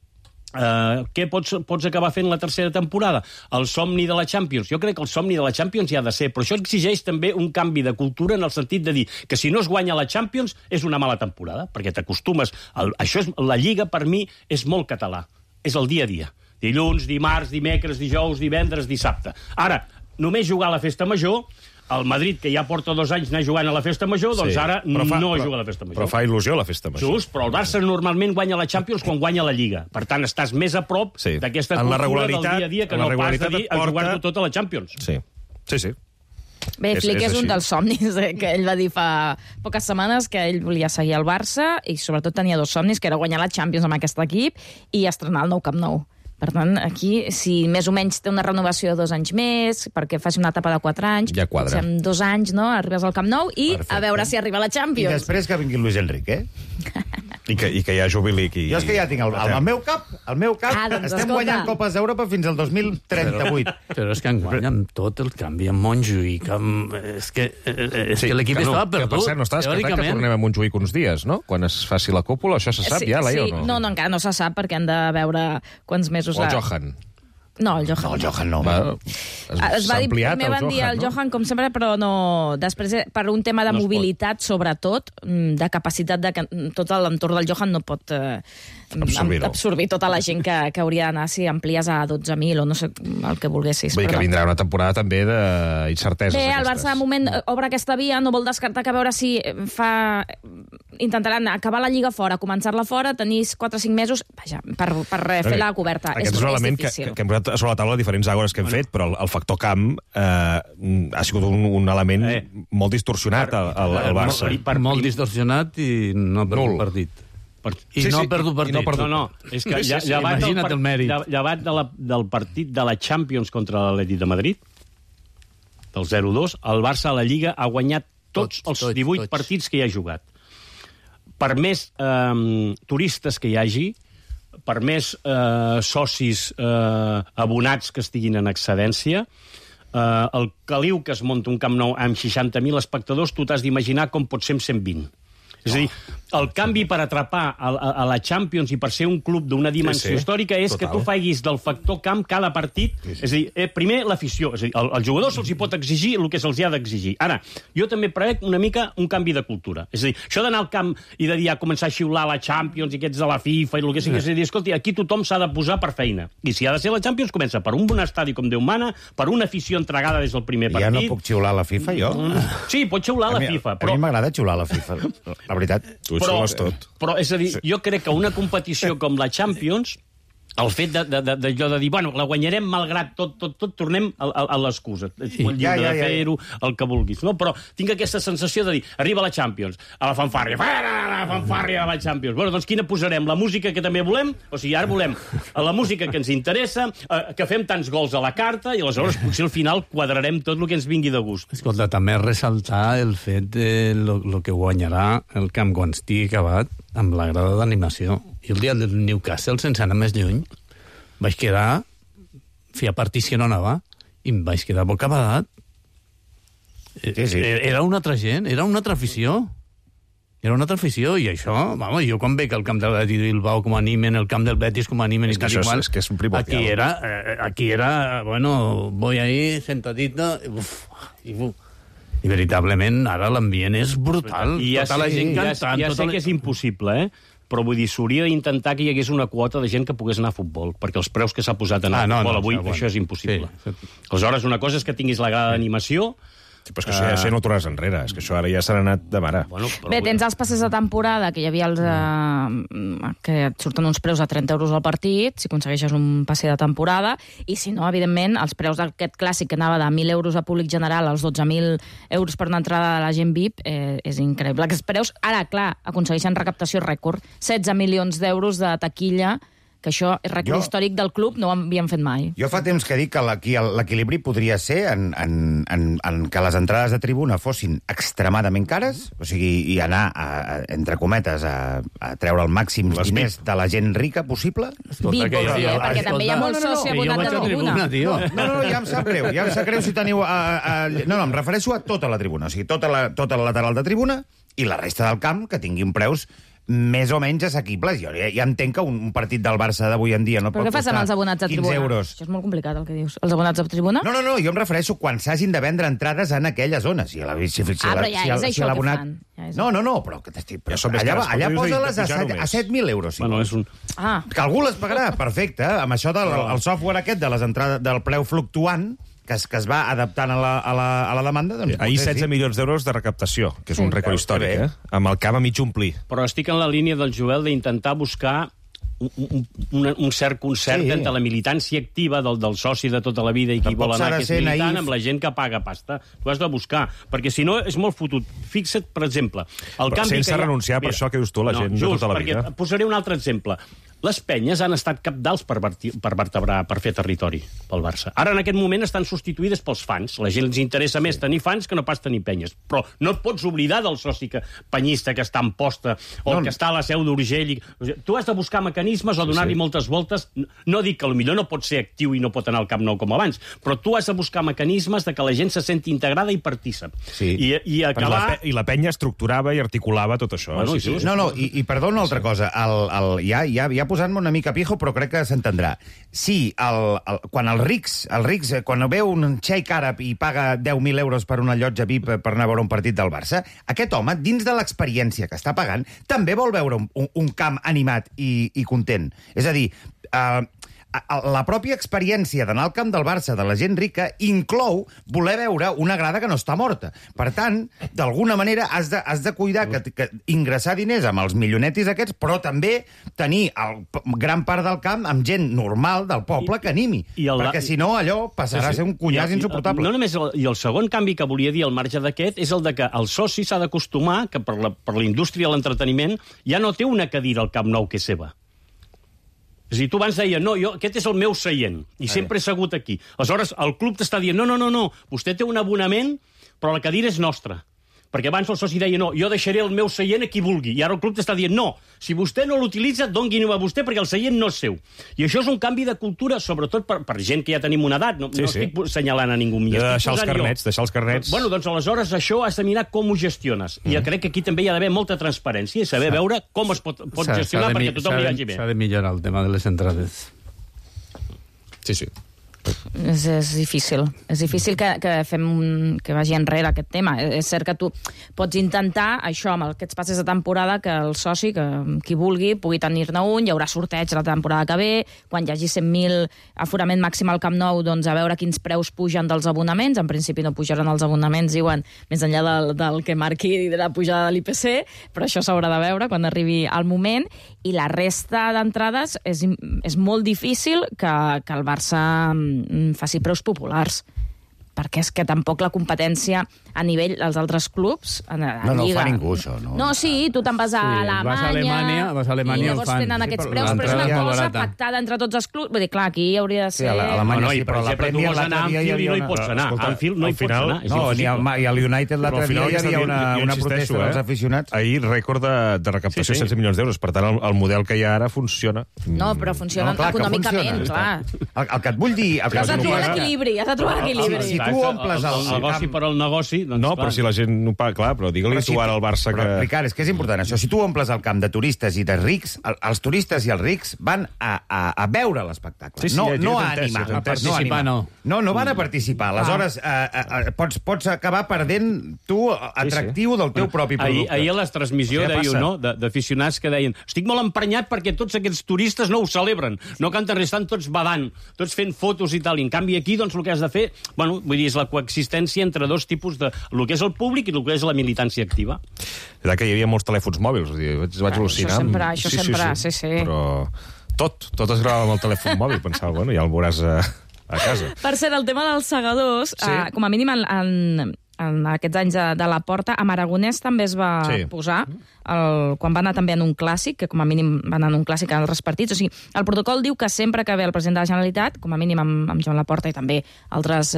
Què pots acabar fent la tercera temporada? El somni de la Champions. Jo crec que el somni de la Champions hi ha de ser, però això exigeix també un canvi de cultura en el sentit de dir que si no es guanya la Champions és una mala temporada, perquè t'acostumes. La Lliga, per mi, és molt català. És el dia a dia. Dilluns, dimarts, dimecres, dijous, divendres, dissabte. Ara, només jugar a la festa major el Madrid, que ja porta 2 anys anar jugant a la Festa Major, doncs ara no juga a la Festa Major. Però fa il·lusió la Festa Major. Just, però el Barça normalment guanya la Champions quan guanya la Lliga. Per tant, estàs més a prop d'aquesta cultura del dia a dia que no pas de dir a jugar-ho tot a la Champions. Sí. Bé, Flick és un dels somnis que ell va dir fa poques setmanes, que ell volia seguir al Barça i sobretot tenia 2 somnis, que era guanyar la Champions amb aquest equip i estrenar el nou Camp Nou. Per tant, aquí, si més o menys té una renovació de 2 anys més, perquè faci una etapa de 4 anys, ja quadra. En 2 anys, no?, arribes al Camp Nou i a veure si arriba la Champions. I després que vingui Luis Enrique, I que ja jubili aquí. Jo és que ja tinc el meu cap, doncs estem escolta. guanyant Copes d'Europa fins al 2038. Però és que enguany amb tot el canvi amb Montjuïc, és que l'equip estava perdut. Que per cert, no està descartat que tornem a Montjuïc uns dies, no? Quan es faci la cúpula, això se sap ja, Laia, o no? No, encara no se sap, perquè han de veure quants mesos... O el Johan. No, el Johan no. Es va dir, primer van dir el Johan, com sempre, però no... Després, per un tema de mobilitat, sobretot, de capacitat de tot l'entorn del Johan no pot absorbir tota la gent que hauria d'anar si amplies a 12.000 o no sé el que volguessis. Vull dir que vindrà una temporada també d'incerteses. Bé, el Barça de moment obre aquesta via, no vol descartar que a veure si intentaran acabar la Lliga fora, començar-la fora, tenir 4 o 5 mesos, vaja, per fer la coberta. Aquest és un element que hem posat sobre la taula diferents àgores que hem fet, però el factor camp ha sigut un element molt distorsionat al Barça. Molt distorsionat i no per un partit. I no ha perdut partit. No, és que llevat del partit de la Champions contra l'Atlètic de Madrid, del 0-2, el Barça a la Lliga ha guanyat tots els 18 partits que hi ha jugat. Per més turistes que hi hagi, per més socis abonats que estiguin en excedència, el caliu que es munta un Camp Nou amb 60.000 espectadors, tu t'has d'imaginar com pot ser amb 120. És a dir, el canvi per atrapar a la Champions i per ser un club d'una dimensió històrica és que tu faiguis del factor camp cada partit. És a dir, primer l'afició. És a dir, als jugadors se'ls hi pot exigir el que se'ls hi ha d'exigir. Ara, jo també prevec una mica un canvi de cultura. És a dir, això d'anar al camp i de dir començar a xiular la Champions i aquests de la FIFA i el que sigui, és a dir, escolti, aquí tothom s'ha de posar per feina. I si ha de ser la Champions, comença per un bon estadi com Déu mana, per una afició entregada des del primer partit. Ja no puc xiular la FIFA, jo? Sí, pot xiular la FIFA. A mi m'agrada xiular la FIFA, la veritat. Però, és a dir, jo crec que una competició com la Champions, el fet de dir, bueno, la guanyarem malgrat tot, tornem a l'excusa. Molt lliure de fer-ho, el que vulguis. No? Però tinc aquesta sensació de dir, arriba la Champions, a la fanfàrria, la fanfàrria de la Champions. Bueno, doncs quina posarem? La música que també volem? O sigui, ara volem la música que ens interessa, que fem tants gols a la carta, i aleshores potser al final quadrarem tot el que ens vingui de gust. Escolta, també ressaltar el fet de lo que guanyarà el camp quan estigui acabat amb la grada d'animació. I el dia del Newcastle, sense anar més lluny, vaig quedar a partició no anava i em vaig quedar bocabadat. Era una altra gent, era una altra afició. Era una altra afició, i això, vamos, jo quan veig el camp del Betis Bilbao com animen, el camp del Betis com animen... És que això és un primordial. Aquí era, bueno, voy ahí sentadito, i veritablement ara l'ambient és brutal. Tota la gent cantant. Ja sé que és impossible, però vull dir, s'hauria d'intentar que hi hagués una quota de gent que pogués anar a futbol, perquè els preus que s'ha posat en el futbol avui, això és impossible. Aleshores, una cosa és que tinguis la grada d'animació... Sí, però és que això ja no tornes enrere, és que això ara ja s'ha anat de mare. Bé, tens els passes de temporada, que hi havia els que et surten uns preus a 30 euros al partit, si aconsegueixes un passe de temporada, i si no, evidentment, els preus d'aquest clàssic que anava de 1.000 euros a públic general als 12.000 euros per una entrada de la gent VIP, és increïble. Aquests preus, ara, clar, aconsegueixen recaptació rècord, 16 milions d'euros de taquilla, que això és rècord històric del club, no ho havíem fet mai. Jo fa temps que dic que l'equilibri podria ser en que les entrades de tribuna fossin extremadament cares, o sigui, i anar, entre cometes, a treure el màxim diners de la gent rica possible. Perquè també hi ha molt soci abonat de tribuna. No, ja em sap greu si teniu... No, em refereixo a tota la tribuna, o sigui, tota la lateral de tribuna i la resta del camp que tinguin preus més o menys assequibles. Jo ja entenc que un partit del Barça d'avui en dia no pot costar 15 euros. Però què fas amb els abonats de tribuna? Això és molt complicat, el que dius. Els abonats de tribuna? No, jo em refereixo quan s'hagin de vendre entrades en aquelles zones. Però ja és això que fan. No, però allà posa-les a 7.000 euros. Que algú les pagarà, perfecte. Amb això del software aquest del preu fluctuant, que es va adaptant a la demanda... Doncs, ahir 16 milions d'euros de recaptació, que és un rècord històric, amb el camp a mig omplir. Però estic en la línia del Joel d'intentar buscar un cert concert entre la militància activa del soci de tota la vida i qui vol anar que és militant amb la gent que paga pasta. Tu has de buscar, perquè si no és molt fotut. Fixa't, per exemple... Sense renunciar per això que dius tu, la gent de tota la vida. Posaré un altre exemple. Les penyes han estat cabdals per vertebrar, per fer territori pel Barça. Ara, en aquest moment, estan substituïdes pels fans. La gent els interessa més tenir fans que no pas tenir penyes. Però no et pots oblidar del soci penyista que està en posta o que està a la Seu d'Urgell. Tu has de buscar mecanismes o donar-li moltes voltes. No dic que potser no pot ser actiu i no pot anar al Camp Nou com abans, però tu has de buscar mecanismes de que la gent se senti integrada i partícip. I acabar... I la penya estructurava i articulava tot això. No, i perdó una altra cosa. Ja posant-me una mica pijo, però crec que s'entendrà. Sí, quan els rics, quan veu un xeic àrab i paga 10.000 euros per una llotja VIP per anar a veure un partit del Barça, aquest home, dins de l'experiència que està pagant, també vol veure un camp animat i content. És a dir, la pròpia experiència d'anar al camp del Barça de la gent rica inclou voler veure una grada que no està morta. Per tant, d'alguna manera has de cuidar que ingressar diners amb els milionetis aquests, però també tenir gran part del camp amb gent normal del poble que animi. Perquè si no, allò passarà a ser un cunyàs insuportable. No només, i el segon canvi que volia dir al marge d'aquest és el de que el soci s'ha d'acostumar que per la indústria de l'entreteniment ja no té una cadira al Camp Nou que és seva. És a dir, tu abans deia, no, aquest és el meu seient, i sempre he segut aquí. Aleshores, el club t'està dient, no, vostè té un abonament, però la cadira és nostra. Perquè abans el soci deia, no, jo deixaré el meu seient a qui vulgui. I ara el club t'està dient, no, si vostè no l'utilitza, doni-ho a vostè perquè el seient no és seu. I això és un canvi de cultura, sobretot per gent que ja tenim una edat. No estic assenyalant a ningú. Deixar els carnets. Bueno, doncs aleshores això has de mirar com ho gestiones. I jo crec que aquí també hi ha d'haver molta transparència i saber veure com es pot gestionar perquè tothom li vagi bé. S'ha de millorar el tema de les entrades. Sí. És difícil. És difícil que vagi enrere aquest tema. És cert que tu pots intentar, això, amb aquests passes de temporada, que el soci, que qui vulgui, pugui tenir-ne un, hi haurà sorteig la temporada que ve, quan hi hagi 100.000 aforament màxim al Camp Nou, doncs a veure quins preus pugen dels abonaments. En principi no pujaran els abonaments, diuen, més enllà del que marqui la pujada de l'IPC, però això s'haurà de veure quan arribi el moment. I la resta d'entrades és molt difícil que el Barça faci preus populars, perquè és que tampoc la competència a nivell dels altres clubs a Lliga. No fa ningú, això. No, sí, tu te'n vas a Alemanya, i llavors tenen aquests preus, però és una cosa pactada entre tots els clubs. Vull dir, clar, aquí hauria de ser... Sí, a Alemanya sí, però la Premier l'altre dia hi havia... No hi pots anar, a Anfield no hi pots anar. No, i al United l'altre dia hi havia una protesta dels aficionats. Ahir rècord de recaptació, 16 milions d'euros. Per tant, el model que hi ha ara funciona. No, però funciona econòmicament, clar. El que et vull dir... Has de trobar l'equilibri, Si tu omples el negoci per al negoci... No, però si la gent no paga, clar, però digue-li tu ara al Barça que... Ricard, és que és important això. Si tu omples el camp de turistes i de rics, els turistes i els rics van a veure l'espectacle, no a animar. No van a participar. Aleshores, pots acabar perdent tu atractiu del teu propi producte. Ahir a la transmissió d'aficionats que deien estic molt emprenyat perquè tots aquests turistes no ho celebren, no canten res, estan tots badant, tots fent fotos i tal. I en canvi aquí, doncs, el que has de fer, bueno, vull dir, és la coexistència entre dos tipus de... el que és el públic i el que és la militància activa. És que hi havia molts telèfons mòbils, vaig al·lucinar. Això sempre, sí. Però tot es gravava amb el telèfon mòbil, pensava, bueno, ja el veuràs a casa. Per cert, el tema dels segadors, com a mínim en aquests anys de la Porta, amb Aragonès també es va posar, quan va anar també en un clàssic, que com a mínim va anar en un clàssic en altres partits. O sigui, el protocol diu que sempre que ve el president de la Generalitat, com a mínim amb Joan Laporta i també altres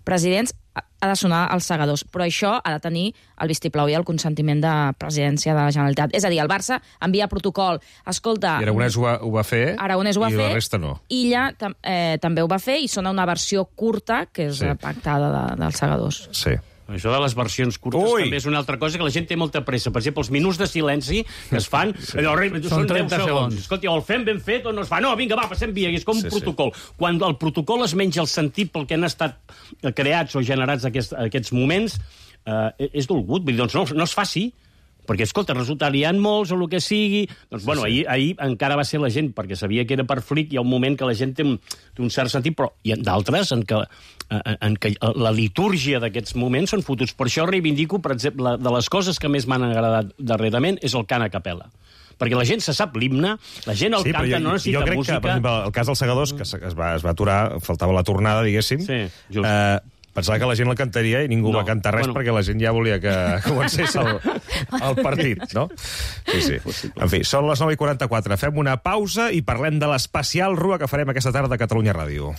presidents, ha de sonar els segadors. Però això ha de tenir el vistiplau i el consentiment de presidència de la Generalitat. És a dir, el Barça envia protocol. Escolta... I Aragonès ho va fer, i la resta no. Illa també ho va fer i sona una versió curta, que és pactada dels segadors. Sí. Això de les versions curtes també és una altra cosa que la gent té molta pressa. Per exemple, els minuts de silenci que es fan... Són 30 segons. Escolta, o el fem ben fet o no es fa. No, vinga, va, passem via. És com un protocol. Quan el protocol es menja el sentit pel que han estat creats o generats aquests moments, és dolgut. Vull dir, doncs no es faci, Perquè, escolta, resulta, hi ha molts o el que sigui... Doncs, bueno, ahir encara va ser la gent, perquè sabia que era per flic, hi ha un moment que la gent té un cert sentit, però hi ha d'altres en què la litúrgia d'aquests moments són fotuts. Per això reivindico, per exemple, de les coses que més m'han agradat darrerament és el cant a capella. Perquè la gent se sap l'himne, la gent el canta, no necessita música... Jo crec que, per exemple, el cas dels Segadors, que es va aturar, faltava la tornada, diguéssim, pensava que la gent la cantaria i ningú va cantar res perquè la gent ja volia que comencés el partit, no? Sí. En fi, són les 9:44. Fem una pausa i parlem de l'especial Rua que farem aquesta tarda a Catalunya Ràdio.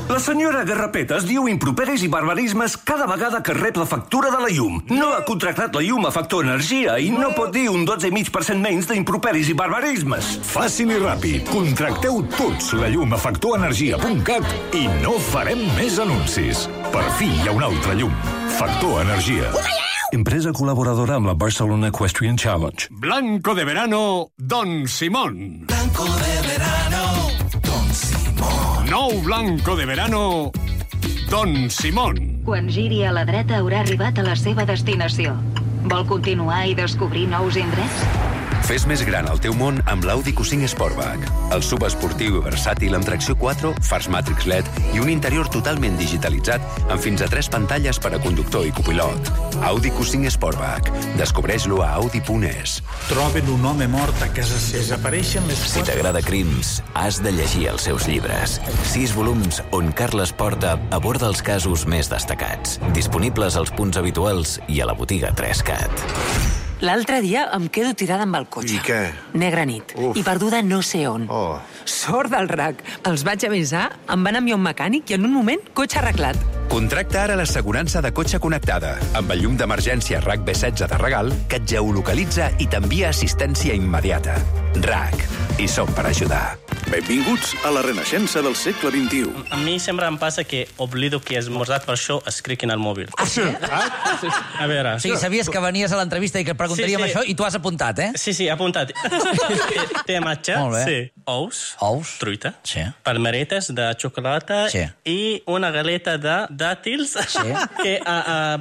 La senyora Garrapetes diu improperis i barbarismes cada vegada que rep la factura de la llum. No ha contractat la llum a Factor Energia i no pot dir un 12,5% menys d'improperis i barbarismes. Fàcil i ràpid. Contracteu tots la llum a factorenergia.cat i no farem més anuncis. Per fi hi ha una altra llum. Factor Energia. Empresa col·laboradora amb la Barcelona Equestrian Challenge. Blanco de verano, Don Simón. Blanco de verano, Don Simón. Nou blanco de verano, Don Simón. Quan giri a la dreta haurà arribat a la seva destinació. Vol continuar i descobrir nous indrets? Fes més gran el teu món amb l'Audi Q5 Sportback. El subesportiu i versàtil amb tracció 4, fars Matrix LED i un interior totalment digitalitzat amb fins a 3 pantalles per a conductor i copilot. Audi Q5 Sportback. Descobreix-lo a Audi.es. Troben un home mort a casa seva. Desapareixen les... Si t'agrada crims, has de llegir els seus llibres. 6 volums on Carles Porta aborda els casos més destacats. Disponibles als punts habituals i a la botiga 3CAT. L'altre dia em quedo tirada amb el cotxe. I què? Negra nit. I perduda no sé on. Sort del RAC. Els vaig avisar, em van enviar un mecànic i en un moment, cotxe arreglat. Contracta ara l'assegurança de cotxe connectada amb el llum d'emergència RAC B16 de regal que et geolocalitza i t'envia assistència immediata. RAC. I som per ajudar. Benvinguts a la renaixença del segle XXI. A mi sempre em passa que oblido que he esmorzat, per això escric en el mòbil. Ah, sí? A veure... Sí, sabies que venies a l'entrevista i que et preguntaríem això i tu has apuntat, eh? Sí, he apuntat. Té matxa, ous, truita, palmeretes de xocolata i una galeta de dàtils que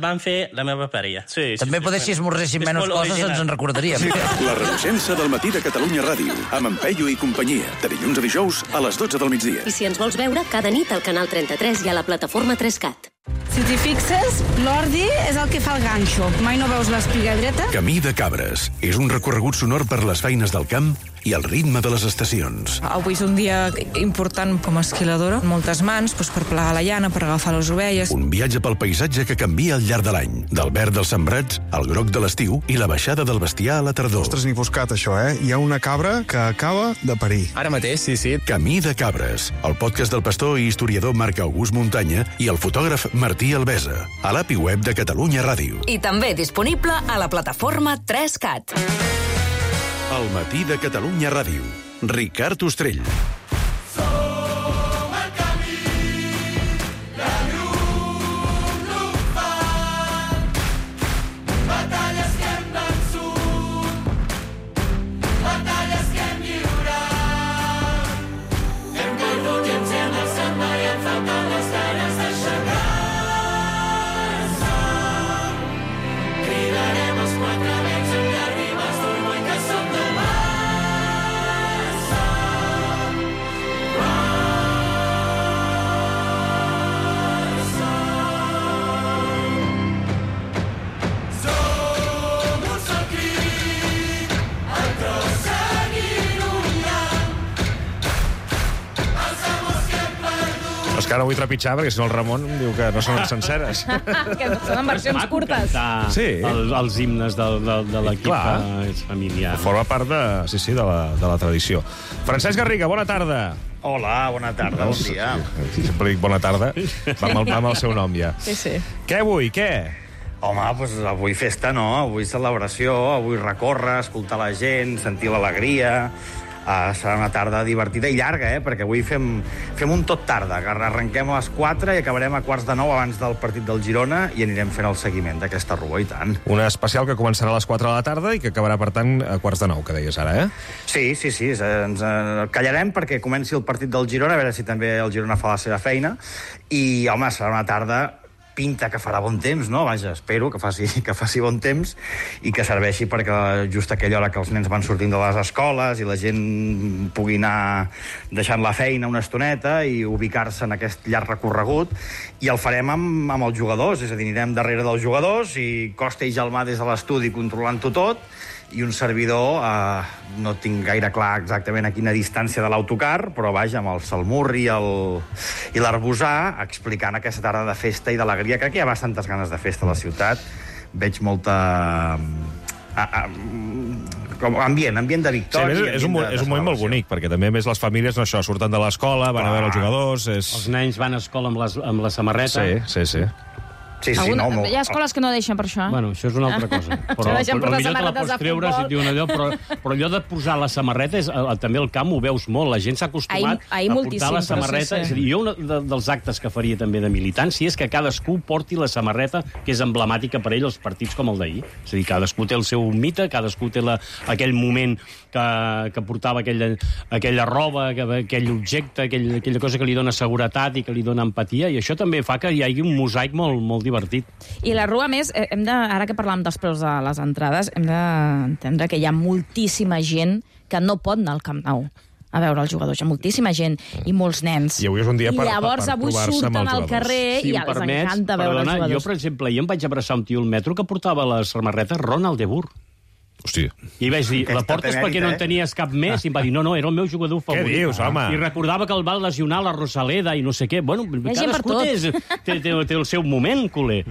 van fer la meva parella. També poder, si esmorzéssim menys coses, ens en recordaríem. La renaixença del matí de Catalunya Ràdio, amb en Peyu i companyia, de dilluns a dijous a les 12 del migdia. I si ens vols veure, cada nit al canal 33 i a la plataforma 3CAT. Si t'hi fixes, l'ordi és el que fa el ganxo. Mai no veus l'espiga dreta? Camí de Cabres. És un recorregut sonor per les feines del camp i el ritme de les estacions. Avui és un dia important com a esquiladora. Moltes mans per plegar la llana, per agafar les ovelles. Un viatge pel paisatge que canvia al llarg de l'any. Del verd dels sembrats al groc de l'estiu i la baixada del bestiar a la tardor. Ostres, n'he buscat això, eh? Hi ha una cabra que acaba de parir. Ara mateix, sí. Camí de Cabres, el podcast del pastor i historiador Marc August Muntanya i el fotògraf Martí Albesa, a l'API web de Catalunya Ràdio. I també disponible a la plataforma 3CAT. El matí de Catalunya Ràdio. Ricard Ostrell. Que ara vull trepitjar, perquè si no el Ramon em diu que no són senceres. Que són en versions curtes. Els himnes de l'equip familiar. Forma part de la tradició. Francesc Garriga, bona tarda. Hola, bona tarda, bon dia. Sempre dic bona tarda, va amb el seu nom ja. Sí. Què avui, què? Home, doncs avui festa, no? Avui celebració, avui recórrer, escoltar la gent, sentir l'alegria... serà una tarda divertida i llarga, perquè avui fem un tot tarda. Arrenquem a les 4 i acabarem a 8:45 abans del partit del Girona i anirem fent el seguiment d'aquesta rua, i tant. Una especial que començarà a les 4 de la tarda i que acabarà, per tant, a 8:45, que deies ara, eh? Sí. Ens callarem perquè comenci el partit del Girona, a veure si també el Girona fa la seva feina. I, home, serà una tarda pinta que farà bon temps, no? Vaja, espero que faci bon temps i que serveixi perquè just aquella hora que els nens van sortint de les escoles i la gent pugui anar deixant la feina una estoneta i ubicar-se en aquest llarg recorregut, i el farem amb els jugadors, és a dir, anirem darrere dels jugadors i Costa i Gelmà des de l'estudi controlant-ho tot, i un servidor, no tinc gaire clar exactament a quina distància de l'autocar, però vaja, amb el Salmurri i l'Arbusà, explicant aquesta tarda de festa i d'alegria. Crec que hi ha bastantes ganes de festa a la ciutat. Veig molta... ambient de victòria. Sí, és un moment molt bonic, perquè també més les famílies surten de l'escola, van a veure els jugadors... Els nens van a escola amb la samarreta. Sí. Hi ha escoles que no deixen per això. Bueno, això és una altra cosa. Però millor te la pots treure si et diuen allò, però allò de posar la samarreta, també al camp ho veus molt. La gent s'ha acostumat a portar la samarreta. És a dir, jo un dels actes que faria també de militància és que cadascú porti la samarreta que és emblemàtica per ell als partits com el d'ahir. És a dir, cadascú té el seu mite, cadascú té aquell moment que portava aquella roba, aquell objecte, aquella cosa que li dona seguretat i que li dona empatia, i això també fa que hi hagi un mosaic molt divertit. I la Rua, més, ara que parlàvem dels preus de les entrades, hem d'entendre que hi ha moltíssima gent que no pot anar al Camp Nou a veure els jugadors. Hi ha moltíssima gent i molts nens. I avui és un dia per llavors avui surten al carrer i els encanta veure els jugadors. Jo, per exemple, ahir em vaig abraçar un tio al metro que portava la samarreta Ronald de Boer. Hòstia. I vaig dir, la portes perquè no en tenies cap més? I em va dir, no, era el meu jugador favorit. Què dius, home? I recordava que el va lesionar la Rosaleda i no sé què. Bueno, cadascú té el seu moment, culer.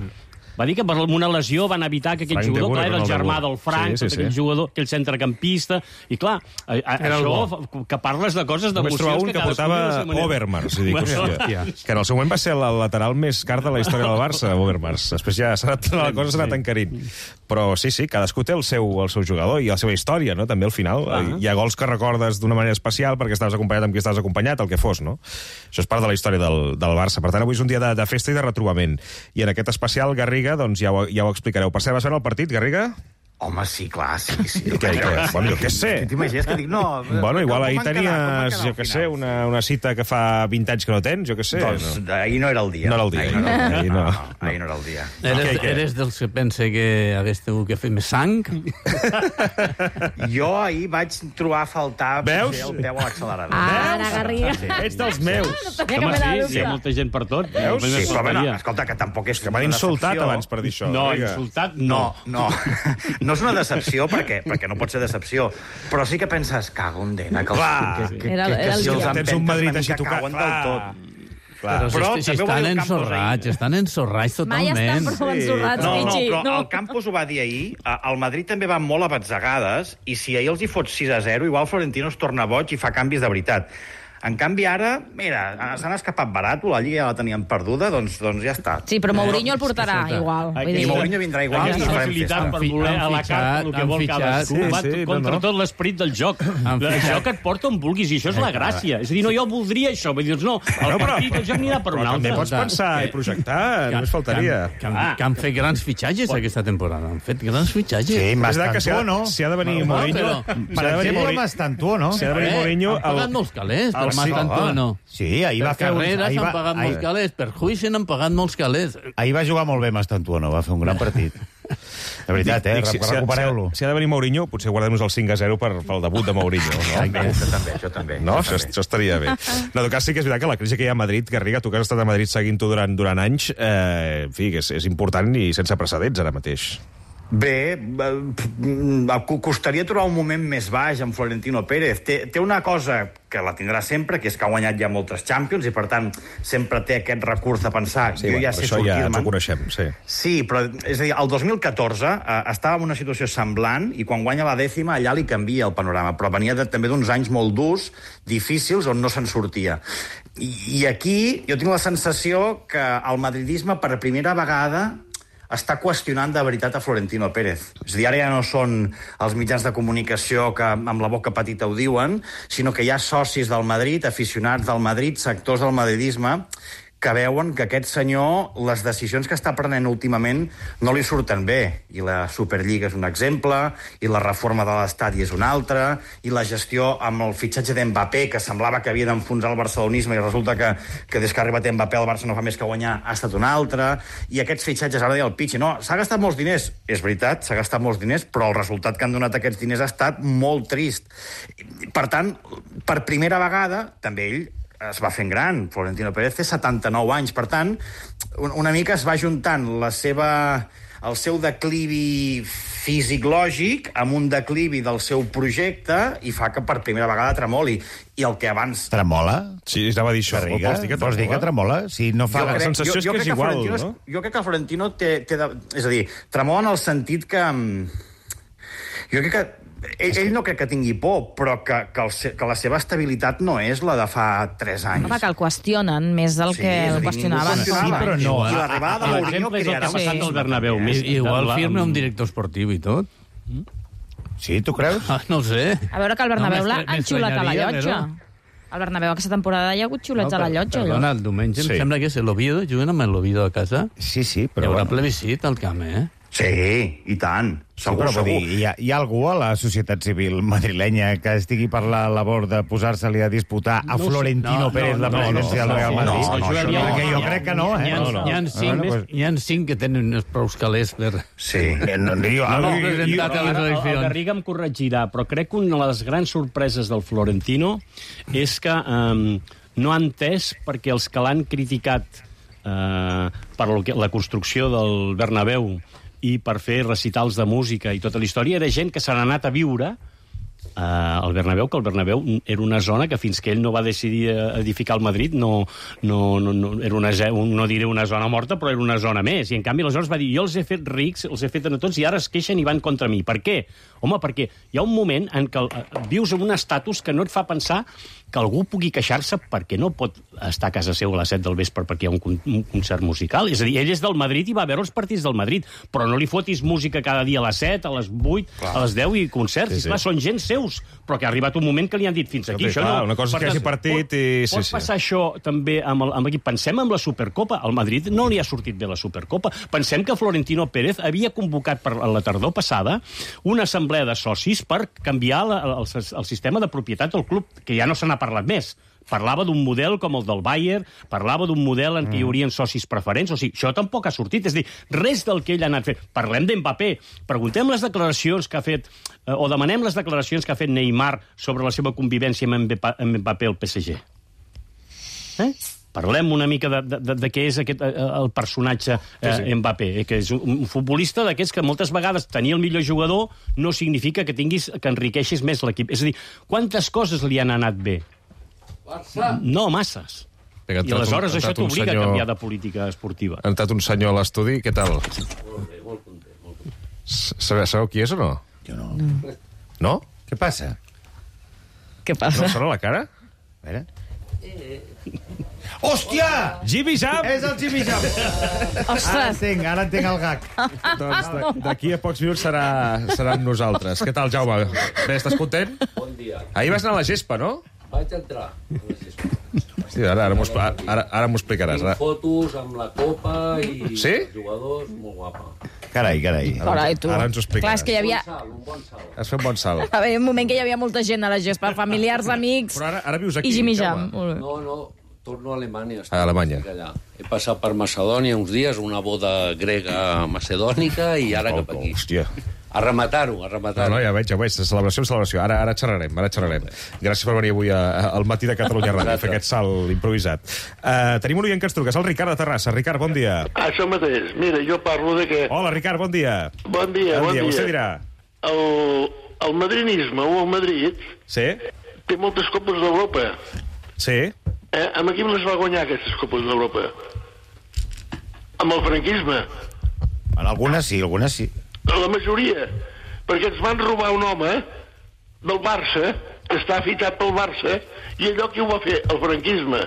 Va dir que per una lesió van evitar que aquell jugador, clar, era el germà del Frank, aquell jugador, aquell centrecampista, i clar, això, que parles de coses d'emocions... Només trobar un que portava Overmars, que en el seu moment va ser el lateral més car de la història del Barça, Overmars. Després ja la cosa s'ha anat encarint. Però sí, cadascú té el seu jugador i la seva història, no? També al final. Hi ha gols que recordes d'una manera especial perquè estaves acompanyat amb qui estaves acompanyat, el que fos, no? Això és part de la història del Barça. Per tant, avui és un dia de festa i de retrobament. I en aquest especial, Garriga, doncs ja ho explicareu. Per cert, vas veure el partit, Garriga? Home, sí, clar, sí. Bueno, jo què sé. T'imagines que dic, no... Bueno, igual ahir tenies, jo què sé, una cita que fa 20 anys que no tens, jo què sé. Doncs ahir no era el dia. No era el dia. Ahir no era el dia. Eres dels que pensa que hagués tingut que fer més sang? Jo ahir vaig trobar a faltar el peu a l'accelerador. Ara, Garriga. Ets dels meus. Home, sí, hi ha molta gent per tot. Veus? Sí, però bueno, escolta, que tampoc és... Que m'han insultat abans per dir això. No, insultat no. No és una decepció, perquè no pot ser decepció, però sí que penses, cago en dena, que si els tens un Madrid així tocat, però estan ensorrats totalment. Mai estan prou ensorrats, Michi. Però el Campos ho va dir ahir, el Madrid també va molt a batzegades, i si ahir els hi fots 6-0, igual Florentino es torna boig i fa canvis de veritat. En canvi, ara, mira, s'han escapat barat, la Lliga ja la tenien perduda, doncs ja està. Sí, però Mourinho el portarà igual. I Mourinho vindrà igual. Aquesta facilitat per voler a la carta el que vol cadascú va contra tot l'esperit del joc. El joc et porta on vulguis, i això és la gràcia. És a dir, no, jo voldria això. Vull dir, no, el partit, el joc anirà per un altre. També pots pensar i projectar, només faltaria. Que han fet grans fitxatges aquesta temporada. Han fet grans fitxatges. Sí, Mastantuo, no? Si ha de venir Mourinho... Per exemple, Mastantuo, no? Si ha de venir Mourinho... Han pagat molts calés, però Mastantuo no. Sí, ahir va fer... Carreras han pagat molts calés, per juici n'han pagat molts calés. Ahir va jugar molt bé Mastantuo, no? Va fer un gran partit. De veritat, recupereu-lo. Si ha de venir Mourinho, potser guardem-nos el 5-0 pel debut de Mourinho. Això també. No, això estaria bé. En tot cas, sí que és veritat que la crisi que hi ha a Madrid, Garriga, tu que has estat a Madrid seguint-ho durant anys, en fi, que és important i sense precedents ara mateix. Bé, costaria trobar un moment més baix amb Florentino Pérez. Té una cosa que la tindrà sempre, que és que ha guanyat ja moltes Champions i, per tant, sempre té aquest recurs de pensar jo ja sé sortir-me'n. Això ja ens ho coneixem, sí. Sí, però, és a dir, el 2014 estava en una situació semblant i quan guanya la 10ª allà li canvia el panorama, però venia també d'uns anys molt durs, difícils, on no se'n sortia. I aquí jo tinc la sensació que el madridisme per primera vegada està qüestionant de veritat a Florentino Pérez. És a dir, ara ja no són els mitjans de comunicació que amb la boca petita ho diuen, sinó que hi ha socis del Madrid, aficionats del Madrid, sectors del madridisme, que veuen que aquest senyor, les decisions que està prenent últimament no li surten bé. I la Superliga és un exemple, i la reforma de l'estadi és un altre, i la gestió amb el fitxatge d'Mbappé, que semblava que havia d'enfonsar el barcelonisme, i resulta que des que ha arribat Mbappé el Barça no fa més que guanyar, ha estat un altre, i aquests fitxatges, ara deia el Pichi, no, s'ha gastat molts diners. És veritat, s'ha gastat molts diners, però el resultat que han donat aquests diners ha estat molt trist. Per tant, per primera vegada, també ell es va fent gran. Florentino Pérez té 79 anys. Per tant, una mica es va juntant el seu declivi físic-lògic amb un declivi del seu projecte i fa que per primera vegada tremoli. I el que abans... Tremola? Sí, anava a dir això. Vols dir que tremola? Si no fa... La sensació és que és igual, no? Jo crec que el Florentino té... És a dir, tremola en el sentit que... Jo crec que ell no crec que tingui por, però que la seva estabilitat no és la de fa 3 anys. Home, que el qüestionen més del que el qüestionaven. Sí, però no. I l'arribada de Mourinho crearà... al Bernabéu. Igual firma un director esportiu i tot. Sí, tu creus? No ho sé. A veure que el Bernabéu l'ha enxulat a la llotja. El Bernabéu aquesta temporada hi ha hagut xulets a la llotja. Perdona, el diumenge em sembla que és l'Oviedo, juguen amb l'Oviedo a casa. Sí, però... Hi haurà plebiscit al camp, Sí, i tant. Segur, segur. Hi ha algú a la societat civil madrilenya que estigui per la labor de posar-se-li a disputar a Florentino Pérez la presidència del Real Madrid? Perquè jo crec que no, Hi ha 5 que tenen uns prous calés per... Sí. El Garriga em corregirà, però crec que una de les grans sorpreses del Florentino és que no ha entès perquè els que l'han criticat per la construcció del Bernabéu i per fer recitals de música i tota la història, era gent que s'han anat a viure al Bernabéu, que el Bernabéu era una zona que fins que ell no va decidir edificar el Madrid era no diré una zona morta, però era una zona més. I en canvi aleshores va dir, jo els he fet rics, els he fet a tots i ara es queixen i van contra mi. Per què? Home, perquè hi ha un moment en què vius en un estatus que no et fa pensar que algú pugui queixar-se perquè no pot estar a casa seu a les 7 del vespre perquè hi ha un concert musical. És a dir, ell és del Madrid i va veure els partits del Madrid, però no li fotis música cada dia a les 7, a les 8, a les 10 i concerts. Sí. Clar, són gent seus, però que ha arribat un moment que li han dit fins aquí. Això no. Una cosa és que hagi partit i... Pot passar això també amb l'equip. Pensem en la Supercopa. Al Madrid no li ha sortit bé la Supercopa. Pensem que Florentino Pérez havia convocat per la tardor passada una assemblea de socis per canviar el sistema de propietat del club, que ja no se n'ha parlat més. Parlava d'un model com el del Bayern, parlava d'un model en què hi haurien socis preferents, o sigui, això tampoc ha sortit. És a dir, res del que ell ha anat fent. Parlem d'Mbappé, preguntem les declaracions que ha fet, o demanem les declaracions que ha fet Neymar sobre la seva convivència amb Mbappé al PSG. Parlem una mica de què és el personatge Mbappé, que és un futbolista d'aquests que moltes vegades tenir el millor jugador no significa que enriqueixis més l'equip. És a dir, quantes coses li han anat bé? No, masses. I aleshores això t'obliga a canviar de política esportiva. Ha entrat un senyor a l'estudi, què tal? Molt content. Sabeu qui és o no? Jo no. No? Què passa? No sona la cara? A veure... Hòstia! Jimmy Jam! És el Jimmy Jam! Ostres! Ara entenc el gag. Doncs d'aquí a pocs minuts serà amb nosaltres. Què tal, Jaume? Bé, estàs content? Bon dia. Ahir vas anar a la gespa, no? Vaig entrar a la gespa. Sí, ara m'ho explicaràs. Tinc fotos amb la copa i els jugadors, molt guapa. Carai. Tu. Ara ens ho explicaràs. Clar, és que hi havia... Un bon salt. Has fet un bon salt. Va haver un moment que hi havia molta gent a la gespa, familiars, amics... Però ara vius aquí, i Jimmy Jam. No, torno a Alemanya. A Alemanya. He passat per Macedònia uns dies, una boda grega macedònica, i ara cap aquí. Hòstia. A rematar-ho. No, ja veig. Celebració. Ara xerrarem. Gràcies per venir avui al matí de Catalunya Ràdio a fer aquest salt improvisat. Tenim un oient que ens truca, és el Ricard de Terrassa. Ricard, bon dia. Això mateix. Mira, jo parlo de que... Hola, Ricard, bon dia. Bon dia. Vostè dirà. El madrinisme o el Madrid té moltes copes d'Europa. Sí. Amb qui les va guanyar, aquestes copes d'Europa? Amb el franquisme. En algunes sí. La majoria. Perquè ens van robar un home del Barça, que està fitat pel Barça, i allò qui ho va fer? El franquisme.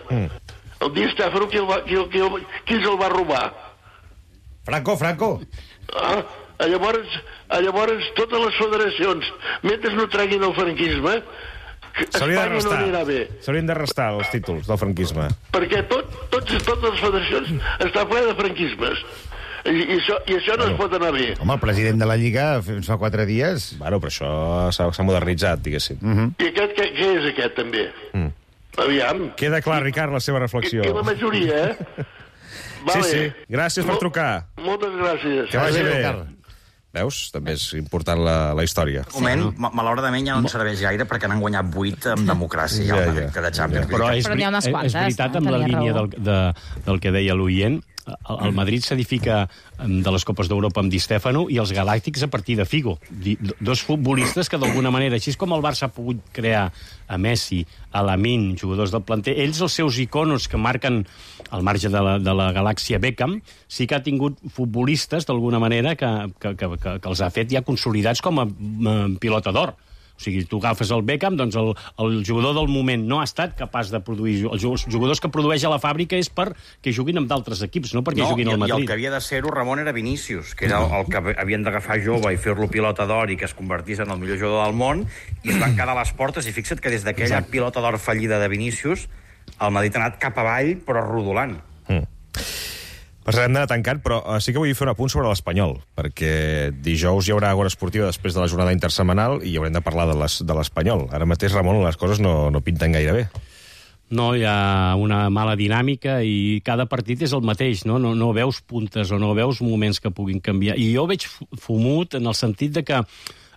El Di Stéfano, qui ens el va robar? Franco. Llavors, totes les federacions, mentre no treguin el franquisme, S'haurien de restar els títols del franquisme. Perquè totes les federacions estan ple de franquismes. I això no es pot anar bé. Home, el president de la Lliga fa 4 dies... Bueno, però això s'ha modernitzat, diguéssim. I aquest, què és aquest, també? Aviam. Queda clar, Ricard, la seva reflexió. Que la majoria, Vale. Sí. Gràcies per trucar. Moltes gràcies. Que vagi bé. Veus? També és important la història. Un moment, malauradament ja no en serveix gaire perquè n'han guanyat 8 amb democràcia de Champions. Però és veritat, amb la línia del que deia l'oient, el Madrid s'edifica de les Copes d'Europa amb Di Stéfano i els Galàctics a partir de Figo. Dos futbolistes que d'alguna manera, així com el Barça ha pogut crear a Messi, a Lamine, jugadors del planter, ells, els seus iconos que marquen al marge de la galàxia Beckham, sí que ha tingut futbolistes d'alguna manera que els ha fet ja consolidats com a pilota d'or. O sigui, tu agafes el Beckham, doncs el jugador del moment no ha estat capaç de produir... Els jugadors que produeix a la fàbrica és perquè juguin amb d'altres equips, no perquè juguin al Madrid. I el que havia de ser-ho, Ramon, era Vinícius, que era el que havien d'agafar jove i fer-lo pilota d'or i que es convertís en el millor jugador del món, i es van quedar a les portes, i fixa't que des d'aquella pilota d'or fallida de Vinícius, el Madrid ha anat cap avall, però rodolant. Ens hem d'anar tancant, però sí que vull fer un apunt sobre l'Espanyol, perquè dijous hi haurà Agora Esportiva després de la jornada intersetmanal i haurem de parlar de l'Espanyol. Ara mateix, Ramon, les coses no pinten gaire bé. No, hi ha una mala dinàmica i cada partit és el mateix, no? No veus puntes o no veus moments que puguin canviar. I jo veig fumut en el sentit de que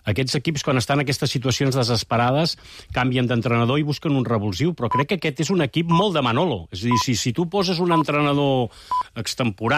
aquests equips, quan estan en aquestes situacions desesperades, canvien d'entrenador i busquen un revulsiu, però crec que aquest és un equip molt de Manolo. És a dir, si tu poses un entrenador extemporani